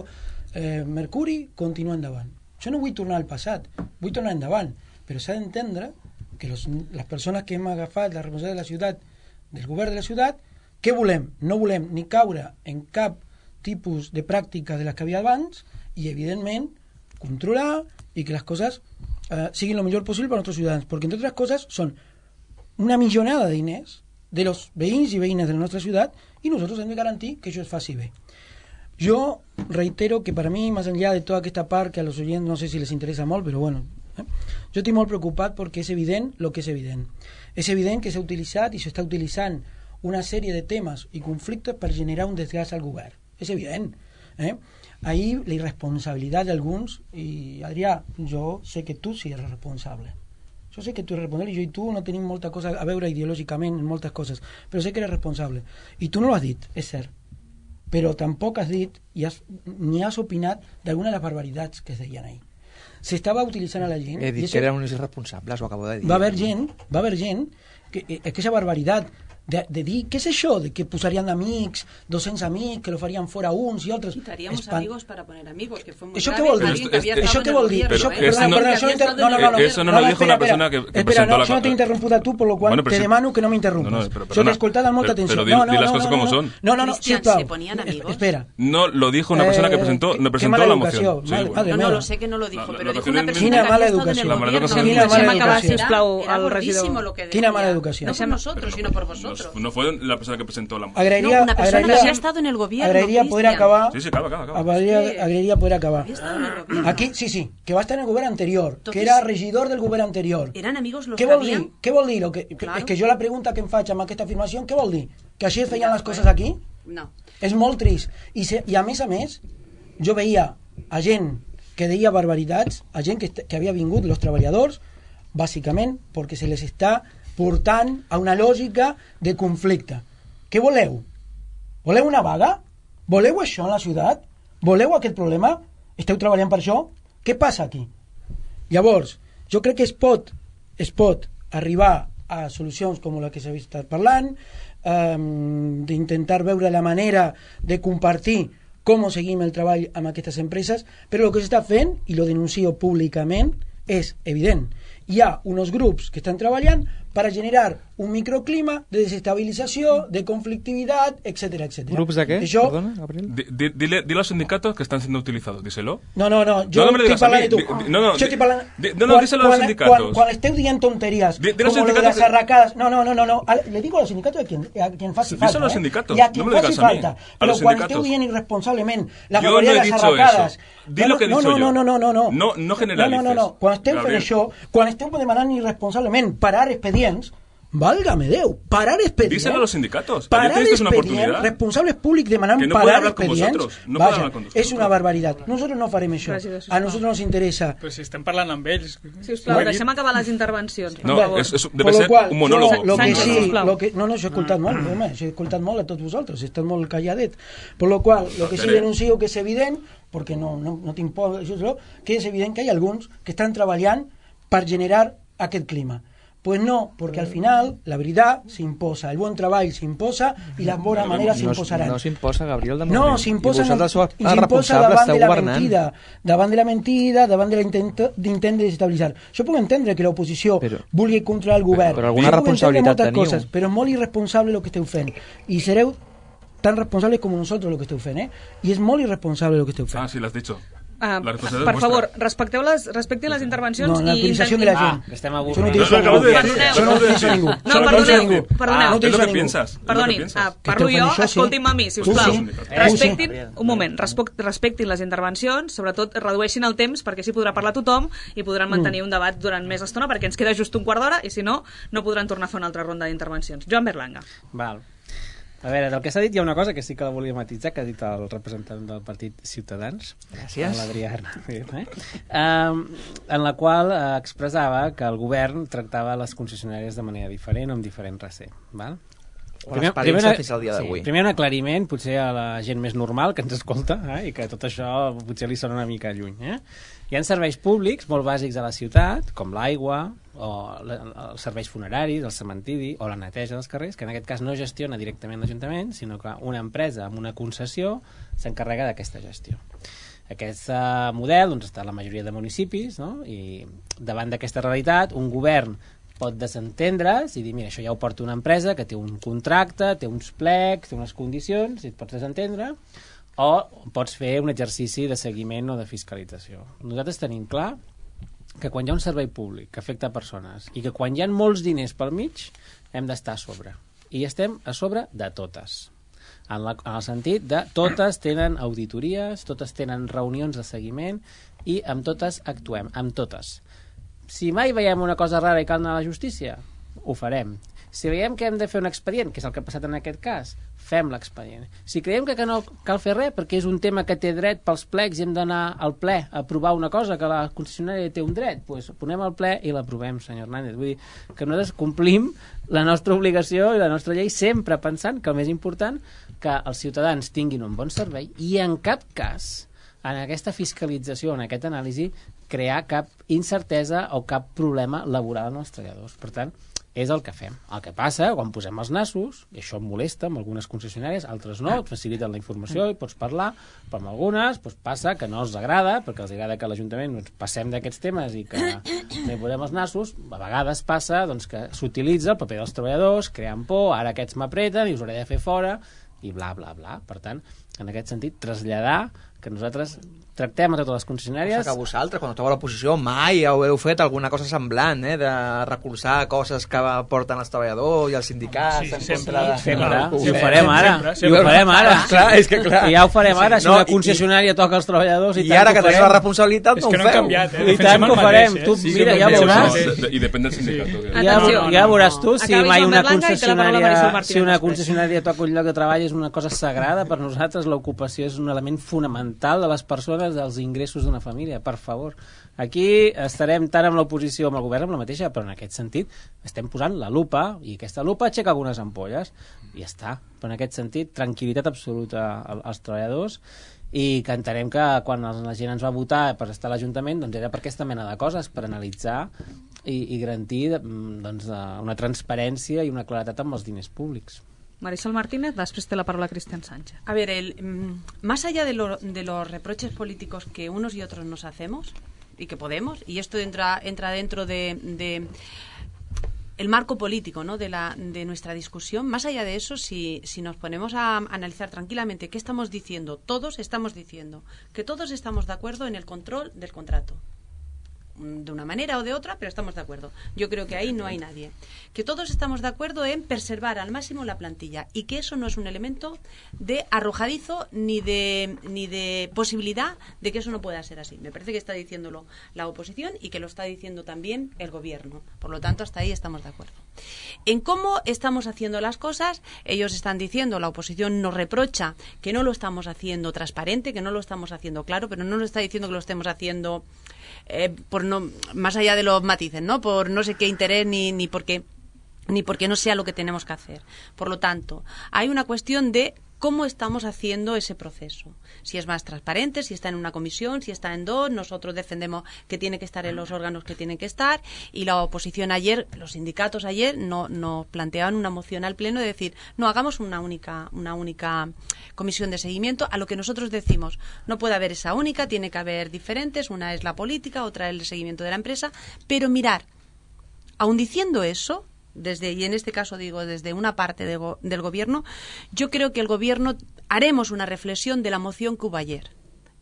Mercuri continua endavant. Jo no vull tornar al passat, vull tornar endavant, però s'ha d'entendre que les persones que hem agafat la responsabilitat de la ciutat, del govern de la ciutat, què volem? No volem ni caure en cap tipus de pràctica de les que havia abans i, evidentment, controlar i que les coses siguin el millor possible per als nostres ciutadans, perquè, entre altres coses, són una millonada de diners de los veïns i veïnes de la nostra ciutat i nosaltres hem de garantir que això es faci bé. Jo reitero que per a mi, més enllà de tota aquesta part que a los oyents no sé si les interessa molt, però bueno, jo estic molt preocupat perquè és evident el que és evident. És evident que s'ha utilitzat i s'està utilitzant una sèrie de temes i conflictes per generar un desgast al govern. És evident. Ahir la irresponsabilitat d'alguns, i Adrià, jo sé que tu sí eres responsable. Jo sé que tu eres responsable i jo i tu no tenim molta cosa a veure ideològicament en moltes coses, però sé que eres responsable. I tu no lo has dit, és cert. Però tampoc has dit ni has opinat d'alguna de les barbaritats que es deien ahir. S'estava utilitzant a la gent... He dit que eren uns irresponsables, ho acabo de dir. Va haver gent que aquesta barbaritat de dir, què és això? De que posarien amics, 200 amics, que lo farían fora uns i altres. Quitaríamos amigos para poner amigos, que fue muy ¿Eso grave. qué vol dir? Alguien que había ¿Eso qué vol dir? estado en el Eso, gobierno, eso no lo dijo una persona que presentó la... Yo no te he interrumpido a tú, por lo cual Bueno, te demano que no me interrumpas. Yo te he escoltado amb molta atenció. Pero di las cosas como son. No, Cristian, sisplau. ¿se ponían amigos? Espera. No, lo dijo una persona que presentó la moción. Sí, bueno. No lo sé que no lo dijo, pero dijo educación una es- persona Quina que mala había estado en el educación. gobierno. Quina mala Deixem acabar, educació. sisplau, Era al gordísimo regidor. lo que decía. Quina mala educación. No por nosotros, sino por vosotros. No fue la persona que presentó la moción. Agrairia, No, una persona que había estado en el gobierno, agrairia poder Cristian. acabar. Sí, acaba. Agrairia poder acabar. Había estado en el gobierno. Aquí, sí, que va estar en el govern anterior, Entonces, que era regidor del govern anterior. Eran amigos los Què que vol dir? habían... Què vol dir? Claro. És que jo la pregunta que em faig amb aquesta afirmació, què vol dir? Que així es feien les coses aquí? No. És molt trist. I a més, jo veia a gent que deia barbaritats, a gent que havia vingut, los treballadors, bàsicament perquè se les està portant a una lògica de conflicte. Què voleu? Voleu una vaga? Voleu això en la ciutat? Voleu aquest problema? Esteu treballant per això? Què passa aquí? Llavors, jo crec que es pot arribar a solucions com la que s'ha estat parlant, d'intentar veure la manera de compartir com seguim el treball amb aquestes empreses, però el que s'està fent, i lo denuncio públicament, és evident. Hi ha uns grups que estan treballant para generar un microclima de desestabilización, de conflictividad, etcétera, etcétera. ¿Grupos de qué? Això... Perdona, Gabriel. Dile a los sindicatos que están siendo utilizados, díselo. No, yo me lo digas estoy a mí. hablando de tú. No, Yo estoy hablando... díselo a los sindicatos. Cuando esteu dient tonterías, Di los como lo de sindicatos las arracadas... No. Le digo a los sindicatos a quien faci falta. Díselo a los sindicatos. Y a quien No me lo faci digas a mí. falta. A Pero los cuando sindicatos. esteu dient irresponsablement la Yo mayoría no he de las dicho arracadas... eso. Di lo que he dicho yo. No. No generalices. No. Quan esteu fent Gabriel. això, quan esteu demanant irresponsablement parar expedients, válgame Déu, parar expedients... Díselo a los sindicatos. Parar Ayer tuviste una expedients, oportunidad. responsables públics demanant Que no puede parar hablar con expedients... vosotros. No puede Vaja, hablar con vosotros. és una barbaritat. Nosotros no farem això. Gràcies, A nosotros nos interesa... Però si estem parlant amb ells... Sisplau, deixem acabar les intervencions. No, per favor. debe ser un monólogo. Lo que Sánchez, sí, sisplau. lo que, no, he escoltat molt, home, he escoltat molt a tots vosaltres, he estat molt calladet. Por lo qual, lo que sí denuncio que és evident, perquè no tinc por, que és evident que hi ha alguns que estan treballant per generar aquest clima. Pues no, porque al final la veritat s'imposa, el bon treball s'imposa i les bones maneres s'imposaran. No s'imposa, Gabriel, de No, moment. s'imposa responsable, davant de la governant. mentida, davant de l'intent de desestabilitzar. Jo puc entendre que l'oposició vulgui controlar el govern. Però alguna Jo puc entendre responsabilitat moltes teniu. coses, però és molt irresponsable el que esteu fent. I sereu tan responsables com nosaltres el que esteu fent, I és molt irresponsable el que esteu fent. Ah, sí, lo has dicho. Per La responsabilitat és favor, vostra. respectin les intervencions No, la i utilització de la gent. que estem Això no avorrits. utilitza No, ningú. acabes de decir. Això no utilitza ningú. No, Això no utilitza perdoneu, ningú. perdoneu. No Es utilitza lo que ningú. piensas. Perdoni, parlo fent jo, això, sí. escoltin-me a mi, Tu sisplau. sí. Respectin, un moment, respectin les intervencions, sobretot redueixin el temps perquè així podrà parlar tothom i podran mantenir un debat durant més estona perquè ens queda just un quart d'hora i si no, no podran tornar a fer una altra ronda d'intervencions. Joan Berlanga. Val. A veure, del que s'ha dit hi ha una cosa que sí que la volia matitzar, que ha dit el representant del partit Ciutadans, Gràcies. l'Adrià Hernández, en la qual expressava que el govern tractava les concessionàries de manera diferent o amb diferent recent. Val? O l'experiència fins al dia d'avui. Primer un aclariment, potser a la gent més normal que ens escolta, i que tot això potser li sona una mica lluny. Hi ha serveis públics molt bàsics a la ciutat, com l'aigua, o els serveis funeraris, el cementiri, o la neteja dels carrers, que en aquest cas no gestiona directament l'Ajuntament, sinó que una empresa amb una concessió s'encarrega d'aquesta gestió. Aquest model doncs, està a la majoria de municipis, no? I davant d'aquesta realitat, un govern pot desentendre's i dir, mira, això ja ho porta una empresa que té un contracte, té uns plecs, té unes condicions, i et pots desentendre, o pots fer un exercici de seguiment o de fiscalització. Nosaltres tenim clar que quan hi ha un servei públic que afecta persones i que quan hi ha molts diners pel mig hem d'estar a sobre. I estem a sobre de totes. En el sentit de totes tenen auditories, totes tenen reunions de seguiment i amb totes actuem, amb totes. Si mai veiem una cosa rara i cal anar a la justícia, ho farem. Si veiem que hem de fer un expedient, que és el que ha passat en aquest cas, fem l'expedient. Si creiem que no cal fer res perquè és un tema que té dret pels plecs i hem d'anar al ple a aprovar una cosa que la concessionària té un dret, doncs ponem al ple i l'aprovem, senyor Hernández. Vull dir que nosaltres complim la nostra obligació i la nostra llei sempre pensant que el més important que els ciutadans tinguin un bon servei i en cap cas en aquesta fiscalització, en aquesta anàlisi, crear cap incertesa o cap problema laboral als treballadors. Per tant, és el que fem. El que passa, quan posem els nassos, i això em molesta amb algunes concessionàries, altres no, et faciliten la informació i pots parlar, però amb algunes passa que no els agrada, perquè els agrada que a l'Ajuntament passem d'aquests temes i que no hi posem els nassos. A vegades passa que s'utilitza el paper dels treballadors, creant por, ara aquests m'apreten i us hauré de fer fora, i bla, bla, bla. Per tant, en aquest sentit, traslladar que nosaltres tractem a totes les concessionàries... Que vosaltres, quan esteu a l'oposició, mai heu fet alguna cosa semblant, de recolzar coses que porten els treballadors i els sindicats en contra de... Sempre. I ho farem ara. I ho farem ara. Clar, és que clar. I ja ho farem ara. Si una concessionària toca els treballadors... I ara que teniu la responsabilitat, no ho feu. És que no hem canviat, I tant que ho farem. Tu, mira, ja veuràs. I depèn del sindicat. Ja veuràs tu si mai una concessionària toca un lloc de treball és una cosa sagrada. Per nosaltres l'ocupació és un element fonamental de les persones, dels ingressos d'una família, per favor. Aquí estarem tant amb l'oposició amb el govern amb la mateixa, però en aquest sentit estem posant la lupa, i aquesta lupa aixeca algunes ampolles, i ja està. Però en aquest sentit, tranquil·litat absoluta als treballadors, i que entenem que quan la gent ens va votar per estar a l'Ajuntament, doncs era per aquesta mena de coses, per analitzar i garantir una transparència i una claretat amb els diners públics. Marisol Martínez, después te la palabra Cristian Sánchez. A ver, más allá de los reproches políticos que unos y otros nos hacemos, y que podemos, y esto entra dentro de el marco político, ¿no?, de nuestra discusión, más allá de eso, si nos ponemos a analizar tranquilamente qué estamos diciendo, todos estamos diciendo que todos estamos de acuerdo en el control del contrato. De una manera o de otra, pero estamos de acuerdo. Yo creo que ahí no hay nadie. Que todos estamos de acuerdo en preservar al máximo la plantilla y que eso no es un elemento de arrojadizo ni de posibilidad de que eso no pueda ser así. Me parece que está diciéndolo la oposición y que lo está diciendo también el gobierno. Por lo tanto, hasta ahí estamos de acuerdo. En cómo estamos haciendo las cosas, ellos están diciendo, la oposición nos reprocha que no lo estamos haciendo transparente, que no lo estamos haciendo claro, pero no nos está diciendo que lo estemos haciendo más allá de los matices, ¿no?, por no sé qué interés ni porque no sea lo que tenemos que hacer. Por lo tanto, hay una cuestión de cómo estamos haciendo ese proceso. Si es más transparente, si está en una comisión, si está en dos. Nosotros defendemos que tiene que estar en los órganos que tienen que estar, y la oposición ayer, los sindicatos ayer, nos planteaban una moción al Pleno de decir, no, hagamos una única comisión de seguimiento. A lo que nosotros decimos, no puede haber esa única, tiene que haber diferentes, una es la política, otra es el seguimiento de la empresa, pero mirar, aun diciendo eso, y en este caso digo desde una parte del gobierno, yo creo que el gobierno haremos una reflexión de la moción que hubo ayer,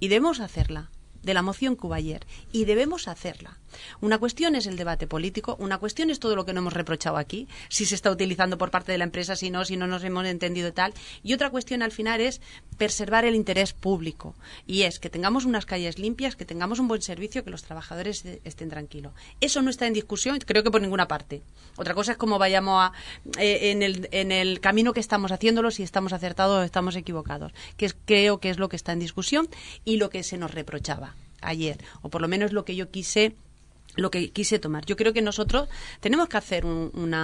y debemos hacerla, de la moción que hubo ayer, y debemos hacerla. Una cuestión es el debate político, una cuestión es todo lo que no hemos reprochado aquí, si se está utilizando por parte de la empresa, si no nos hemos entendido tal, y otra cuestión al final es preservar el interés público, y es que tengamos unas calles limpias, que tengamos un buen servicio, que los trabajadores estén tranquilos. Eso no está en discusión, creo que por ninguna parte. Otra cosa es cómo vayamos en el camino que estamos haciéndolo, si estamos acertados o estamos equivocados, creo que es lo que está en discusión y lo que se nos reprochaba ayer, o por lo menos lo que quise tomar. Yo creo que nosotros tenemos que hacer un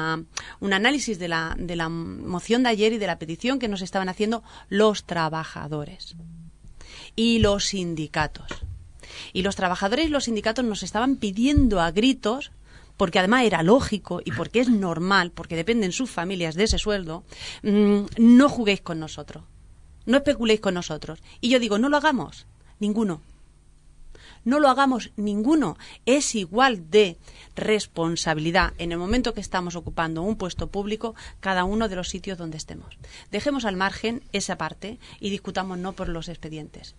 análisis de la moción de ayer y de la petición que nos estaban haciendo los trabajadores y los sindicatos. Y los trabajadores y los sindicatos nos estaban pidiendo a gritos, porque además era lógico y porque es normal, porque dependen sus familias de ese sueldo, no juguéis con nosotros, no especuléis con nosotros. Y yo digo, no lo hagamos, ninguno. No lo hagamos ninguno. Es igual de responsabilidad en el momento que estamos ocupando un puesto público cada uno de los sitios donde estemos. Dejemos al margen esa parte y discutámonos por los expedientes.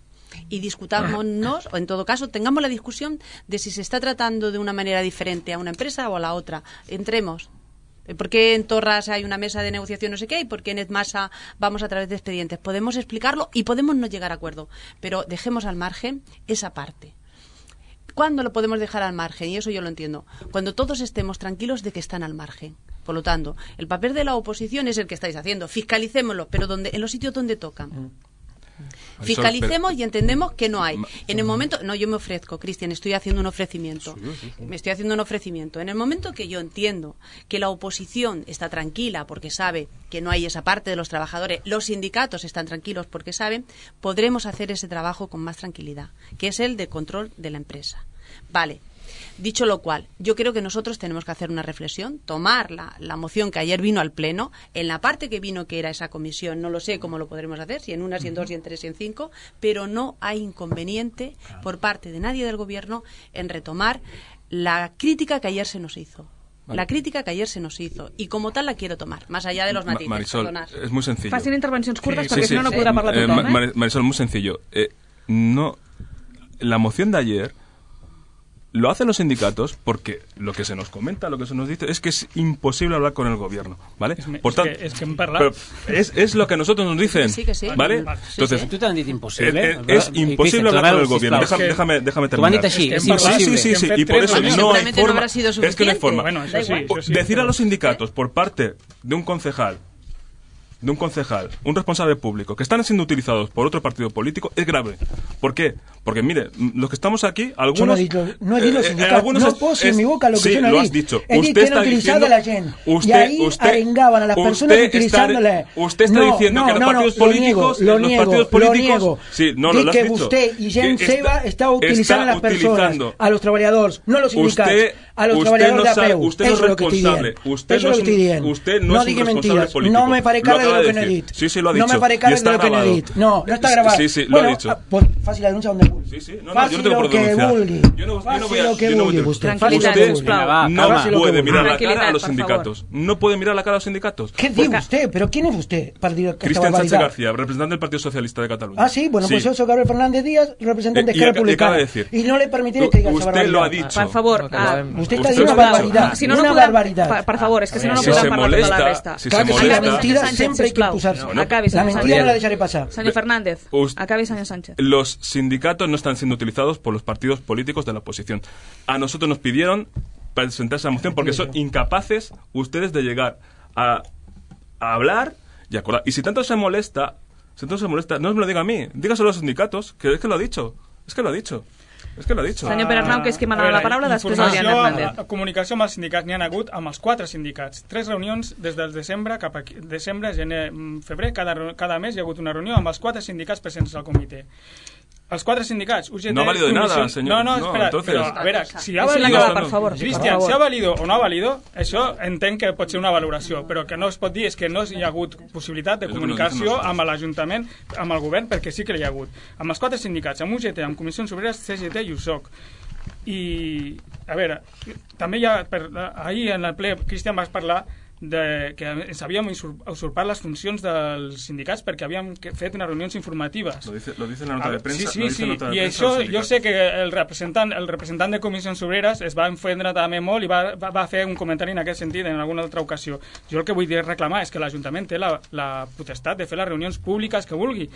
Y discutámonos, o en todo caso, tengamos la discusión de si se está tratando de una manera diferente a una empresa o a la otra. Entremos. ¿Por qué en Torras hay una mesa de negociación no sé qué? ¿Y por qué en Edmasa vamos a través de expedientes? Podemos explicarlo y podemos no llegar a acuerdo. Pero dejemos al margen esa parte. ¿Cuándo lo podemos dejar al margen? Y eso yo lo entiendo. Cuando todos estemos tranquilos de que están al margen. Por lo tanto, el papel de la oposición es el que estáis haciendo. Fiscalicémoslo, pero en los sitios donde tocan. Fiscalicemos y entendemos que no hay. En el momento... No, yo me ofrezco, Cristian, estoy haciendo un ofrecimiento. Me estoy haciendo un ofrecimiento. En el momento que yo entiendo que la oposición está tranquila porque sabe que no hay esa parte de los trabajadores, los sindicatos están tranquilos porque saben, podremos hacer ese trabajo con más tranquilidad, que es el de control de la empresa. Vale. Dicho lo cual, yo creo que nosotros tenemos que hacer una reflexión, tomar la moción que ayer vino al Pleno, en la parte que vino que era esa comisión, no lo sé cómo lo podremos hacer, si en una, si en 2, si en 3, si en 5, pero no hay inconveniente por parte de nadie del Gobierno en retomar la crítica que ayer se nos hizo. Vale. La crítica que ayer se nos hizo, y como tal la quiero tomar, más allá de los matices. Marisol, es muy sencillo. Facin intervencions curtes perquè si no podrà parlar tothom. Marisol, muy sencillo. La moción de ayer lo hacen los sindicatos porque lo que se nos comenta, lo que se nos dice es que es imposible hablar con el gobierno, ¿vale? Por tanto, es lo que nosotros nos dicen, ¿vale? Entonces, tú te han dicho imposible. Es imposible hablar con el gobierno. Déjame terminar. Sí, y por eso no hay forma. Es que no hay forma. Decir a los sindicatos por parte de un concejal, un responsable público, que están siendo utilizados por otro partido político, es grave. ¿Por qué? Porque, mire, los que estamos aquí, algunos... No he dit los sindicatos, no posi en mi boca lo que yo no he dicho. He dit que era utilizada la gent. Y ahí arengaban a las personas utilizándole... Usted está diciendo que los partidos políticos... Lo niego. Sí, no, lo has que dicho. usted y gent seva está utilizando a las personas, a los trabajadores, no a los sindicatos, a los trabajadores de APEU. Usted no es responsable. Usted no es un responsable político. No me faré càrrec de lo que no he dit. Sí, lo ha dicho. No me faré càrrec de lo que no he dit. No está grabado. Sí, lo ha dicho. Pues fácil la denuncia donde vulgui. Sí, no, yo no tengo por qué denunciar. Yo no voy a... Usted no puede mirar la cara a los sindicatos. No puede mirar la cara a los sindicatos. ¿Qué dice usted? ¿Pero quién es usted para decir que Cristian Sánchez García, representante del Partido Socialista de Cataluña. Ah, sí, bueno, pues yo soy Gabriel Fernández Díaz, representante de Esquerra Republicana. Y no le permitiré que diga esa barbaridad. Usted lo ha dicho. Por favor. Usted está diciendo una barbaridad. Si no, no barbaridad. Per favor, és que si no, no podem parlar tota la resta. Si se molesta... La mentira siempre hay que impulsarse. La mentira no la dejaré pasar. Señor Fernández, acabe, señor Sánchez. Los sindicatos no están siendo utilizados por los partidos políticos de la oposición. A nosotros nos pidieron presentar esa moción porque son incapaces ustedes de llegar a hablar y acordar. Y si tanto se molesta, no me lo diga a mí, dígaselo a los sindicatos, que es que lo ha dicho. Senyor Pere Arnau, que és qui m'ha donat la paraula, després Adrián Hernández. Comunicació amb els sindicats n'hi ha hagut amb els 4 sindicats. 3 reunions des del desembre cap a desembre, gener, febrer, cada mes hi ha hagut una reunió amb els 4 sindicats presents al comitè. Els 4 sindicats, UGT... No ha valido de nada, señor. No, espera, entonces... però, a veure, si ha valido... Per favor, Cristian, si ha valido o no ha valido, això entenc que pot ser una valoració, però que no es pot dir és que no hi ha hagut possibilitat de comunicació amb l'Ajuntament, amb el govern, perquè sí que hi ha hagut. Amb els 4 sindicats, amb UGT, amb Comissions Obreres, CGT i USOC. I, a veure, també hi ha... Ahir en el ple, Cristian, vas parlar que ens havíem usurpat les funcions dels sindicats perquè havíem fet unes reunions informatives. Lo dice en la nota de premsa. Sí. I això jo sé que el representant de Comissions Obreres es va enfendre també molt i va fer un comentari en aquest sentit en alguna altra ocasió. Jo el que vull reclamar és que l'Ajuntament té la potestat de fer les reunions públiques que vulgui,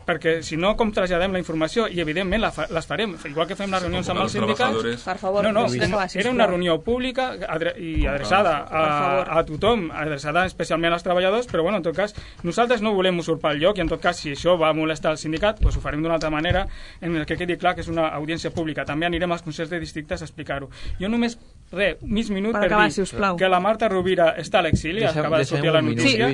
perquè si no, com traslladem la informació? I evidentment les farem, igual que fem les reunions amb els sindicats. Per favor, era una reunió pública i adreçada a tothom, adreçada especialment als treballadors, però bueno, en tot cas nosaltres no volem usurpar el lloc i en tot cas si això va molestar el sindicat, doncs ho farem d'una altra manera en el que quedi clar que és una audiència pública. També anirem als consells de districtes a explicar-ho. Jo només, mig minut per dir que la Marta Rovira està a l'exili, acaba de sortir a la notícia.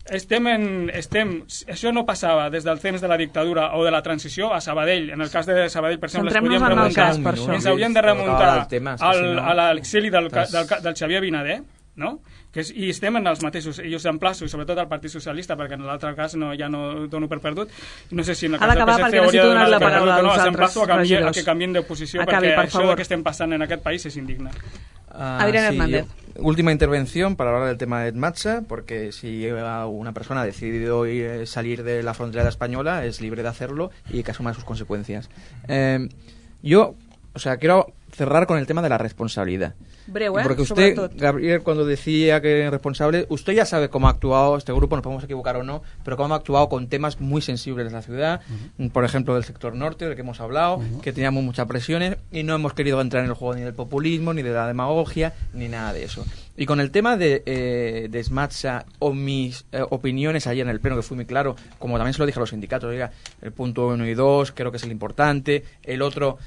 Això no passava des del temps de la dictadura o de la transició a Sabadell. En el cas de Sabadell, per exemple, ens hauríem de remuntar a l'exili del Xavier Vinader, no? I estem en els mateixos, i us emplaço, i sobretot al Partit Socialista, perquè en l'altre cas ja no dono per perdut, no sé si en el cas del PSC hauria de donar per perdut o no, us emplaço a que canvien d'oposició, perquè això que estem passant en aquest país és indigne. Adrián Hernández. Última intervención para hablar del tema de ETMATSA, porque si una persona ha decidido salir de la frontera española, es libre de hacerlo y que asuma sus consecuencias. Yo quiero cerrar con el tema de la responsabilidad. Breu, porque usted, Gabriel, cuando decía que es responsable, usted ya sabe cómo ha actuado este grupo, nos podemos equivocar o no, pero cómo ha actuado con temas muy sensibles de la ciudad, por ejemplo del sector norte, del que hemos hablado, que teníamos muchas presiones y no hemos querido entrar en el juego ni del populismo, ni de la demagogia, ni nada de eso. Y con el tema de ETMATSA o mis opiniones ayer en el pleno, que fui muy claro, como también se lo dije a los sindicatos, oiga, el punto 1 y 2 creo que es el importante, el otro,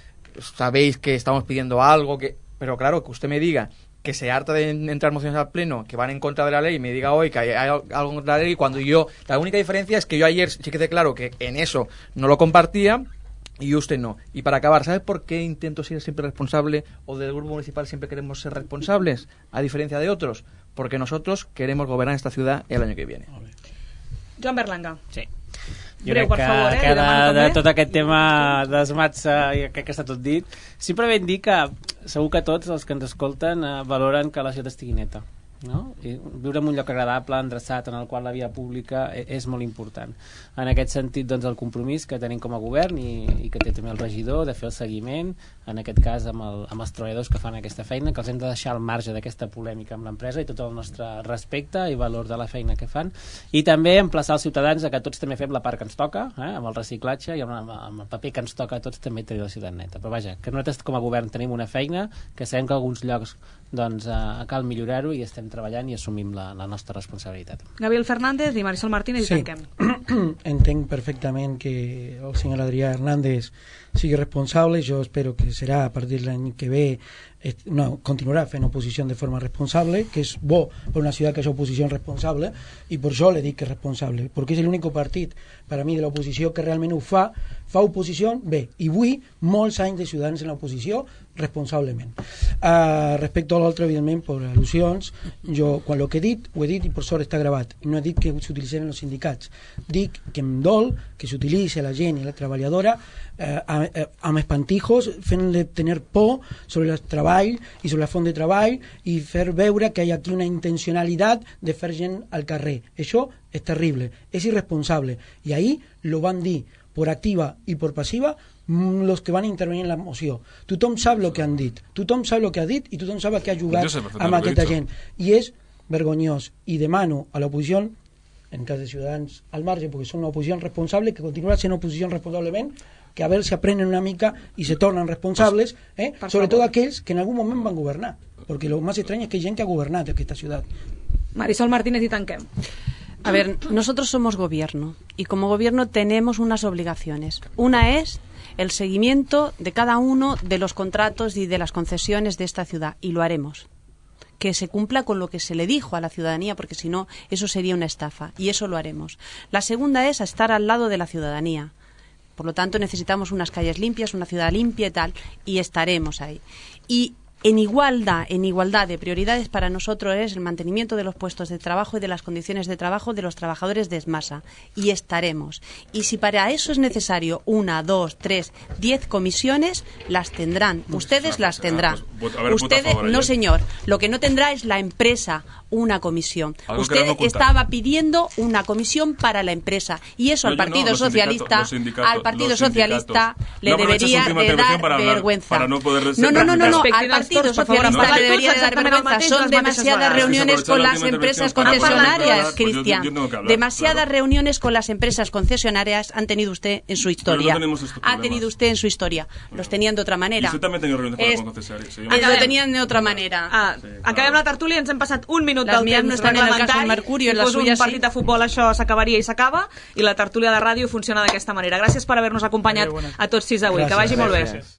sabéis que estamos pidiendo algo, pero claro, que usted me diga que se harta de entrar mociones al pleno que van en contra de la ley y me diga hoy que hay algo en contra de la ley, cuando la única diferencia es que yo ayer sí que quedé claro que en eso no lo compartía y usted no. Y para acabar, ¿sabe por qué intento ser siempre responsable o del grupo municipal siempre queremos ser responsables, a diferencia de otros? Porque nosotros queremos gobernar esta ciudad el año que viene. Joan Berlanga. Sí. Jo crec que de tot aquest tema dels mats crec que està tot dit. Simplement dir que segur que tots els que ens escolten valoren que la ciutat estigui neta, no? I viure en un lloc agradable, endreçat, en el qual la via pública és molt important. En aquest sentit, doncs, el compromís que tenim com a govern i que té també el regidor de fer el seguiment, en aquest cas amb els treballadors que fan aquesta feina, que els hem de deixar al marge d'aquesta polèmica amb l'empresa i tot el nostre respecte i valor de la feina que fan, i també emplaçar els ciutadans a que tots també fem la part que ens toca, amb el reciclatge i amb el paper que ens toca a tots també tenir la ciutat neta. Però vaja, que nosaltres com a govern tenim una feina, que sabem que alguns llocs doncs cal millorar-ho i estem treballant i assumim la nostra responsabilitat. Gabriel Fernández i Marisol Martínez, i tanquem. Entenc perfectament que el senyor Adrià Hernández sigui responsable. Jo espero que serà a partir de l'any que ve continuarà fent oposició de forma responsable, que és bo per una ciutat que és oposició responsable, i per això le dic que és responsable, perquè és l'únic partit per a mi de l'oposició que realment ho fa oposició bé, i vull molts anys de ciutadans en l'oposició responsablement. Respecte a l'altre, evidentment, per al·lusions, jo quan el que he dit, ho he dit i per sort està gravat. No he dit que s'utilitzen els sindicats. Dic que em dol que s'utilitzi la gent i la treballadora amb espantijos, fent-le tenir por sobre el treball i sobre la font de treball i fer veure que hi ha aquí una intencionalitat de fer gent al carrer. Això és terrible, és irresponsable. I ahir lo van dir por activa y por pasiva los que van a intervenir en la moció. Tothom sap el que han dit, tothom sap el que ha dit i tothom sap que ha jugat amb aquesta gent. I és vergonyós. I demano a l'oposició, en cas de Ciutadans al marge, perquè són una oposició responsable, que continuarà sent oposició responsablement, que a veure si aprenen una mica i se tornen responsables, sobretot aquells que en algun moment van governar, perquè el més estrany és que hi ha gent que ha governat aquesta ciutat. Marisol Martínez, y tanquem. A ver, nosotros somos gobierno y como gobierno tenemos unas obligaciones. Una es el seguimiento de cada uno de los contratos y de las concesiones de esta ciudad, y lo haremos. Que se cumpla con lo que se le dijo a la ciudadanía, porque si no, eso sería una estafa, y eso lo haremos. La segunda es estar al lado de la ciudadanía. Por lo tanto, necesitamos unas calles limpias, una ciudad limpia y tal, y estaremos ahí. Y en igualdad de prioridades para nosotros es el mantenimiento de los puestos de trabajo y de las condiciones de trabajo de los trabajadores de Esmasa, y estaremos. Y si para eso es necesario 1, 2, 3, 10 comisiones, las tendrán. Ustedes las tendrán. Ustedes, no señor, lo que no tendrá es la empresa una comisión. Usted estaba pidiendo una comisión para la empresa, y eso al Partido Socialista le debería de dar vergüenza. No, al Partido Socialista le debería de dar vergüenza. Son demasiadas reuniones con las empresas concesionarias, Cristian. Demasiadas reuniones con las empresas concesionarias han tenido usted en su historia. Ha tenido usted en su historia. Los tenían de otra manera. I usted també tenia reunions con les concessionàries. Lo tenían de otra manera. Acabem la tertúlia, ens hem passat un minut Las del mías no temps están en el caso reglamentari. Mercurio, en la Si fos suya un partit de futbol, això s'acabaria i s'acaba, i la tertúlia de ràdio funciona d'aquesta manera. Gràcies per haver-nos acompanyat a tots sis avui. Que vagi molt bé.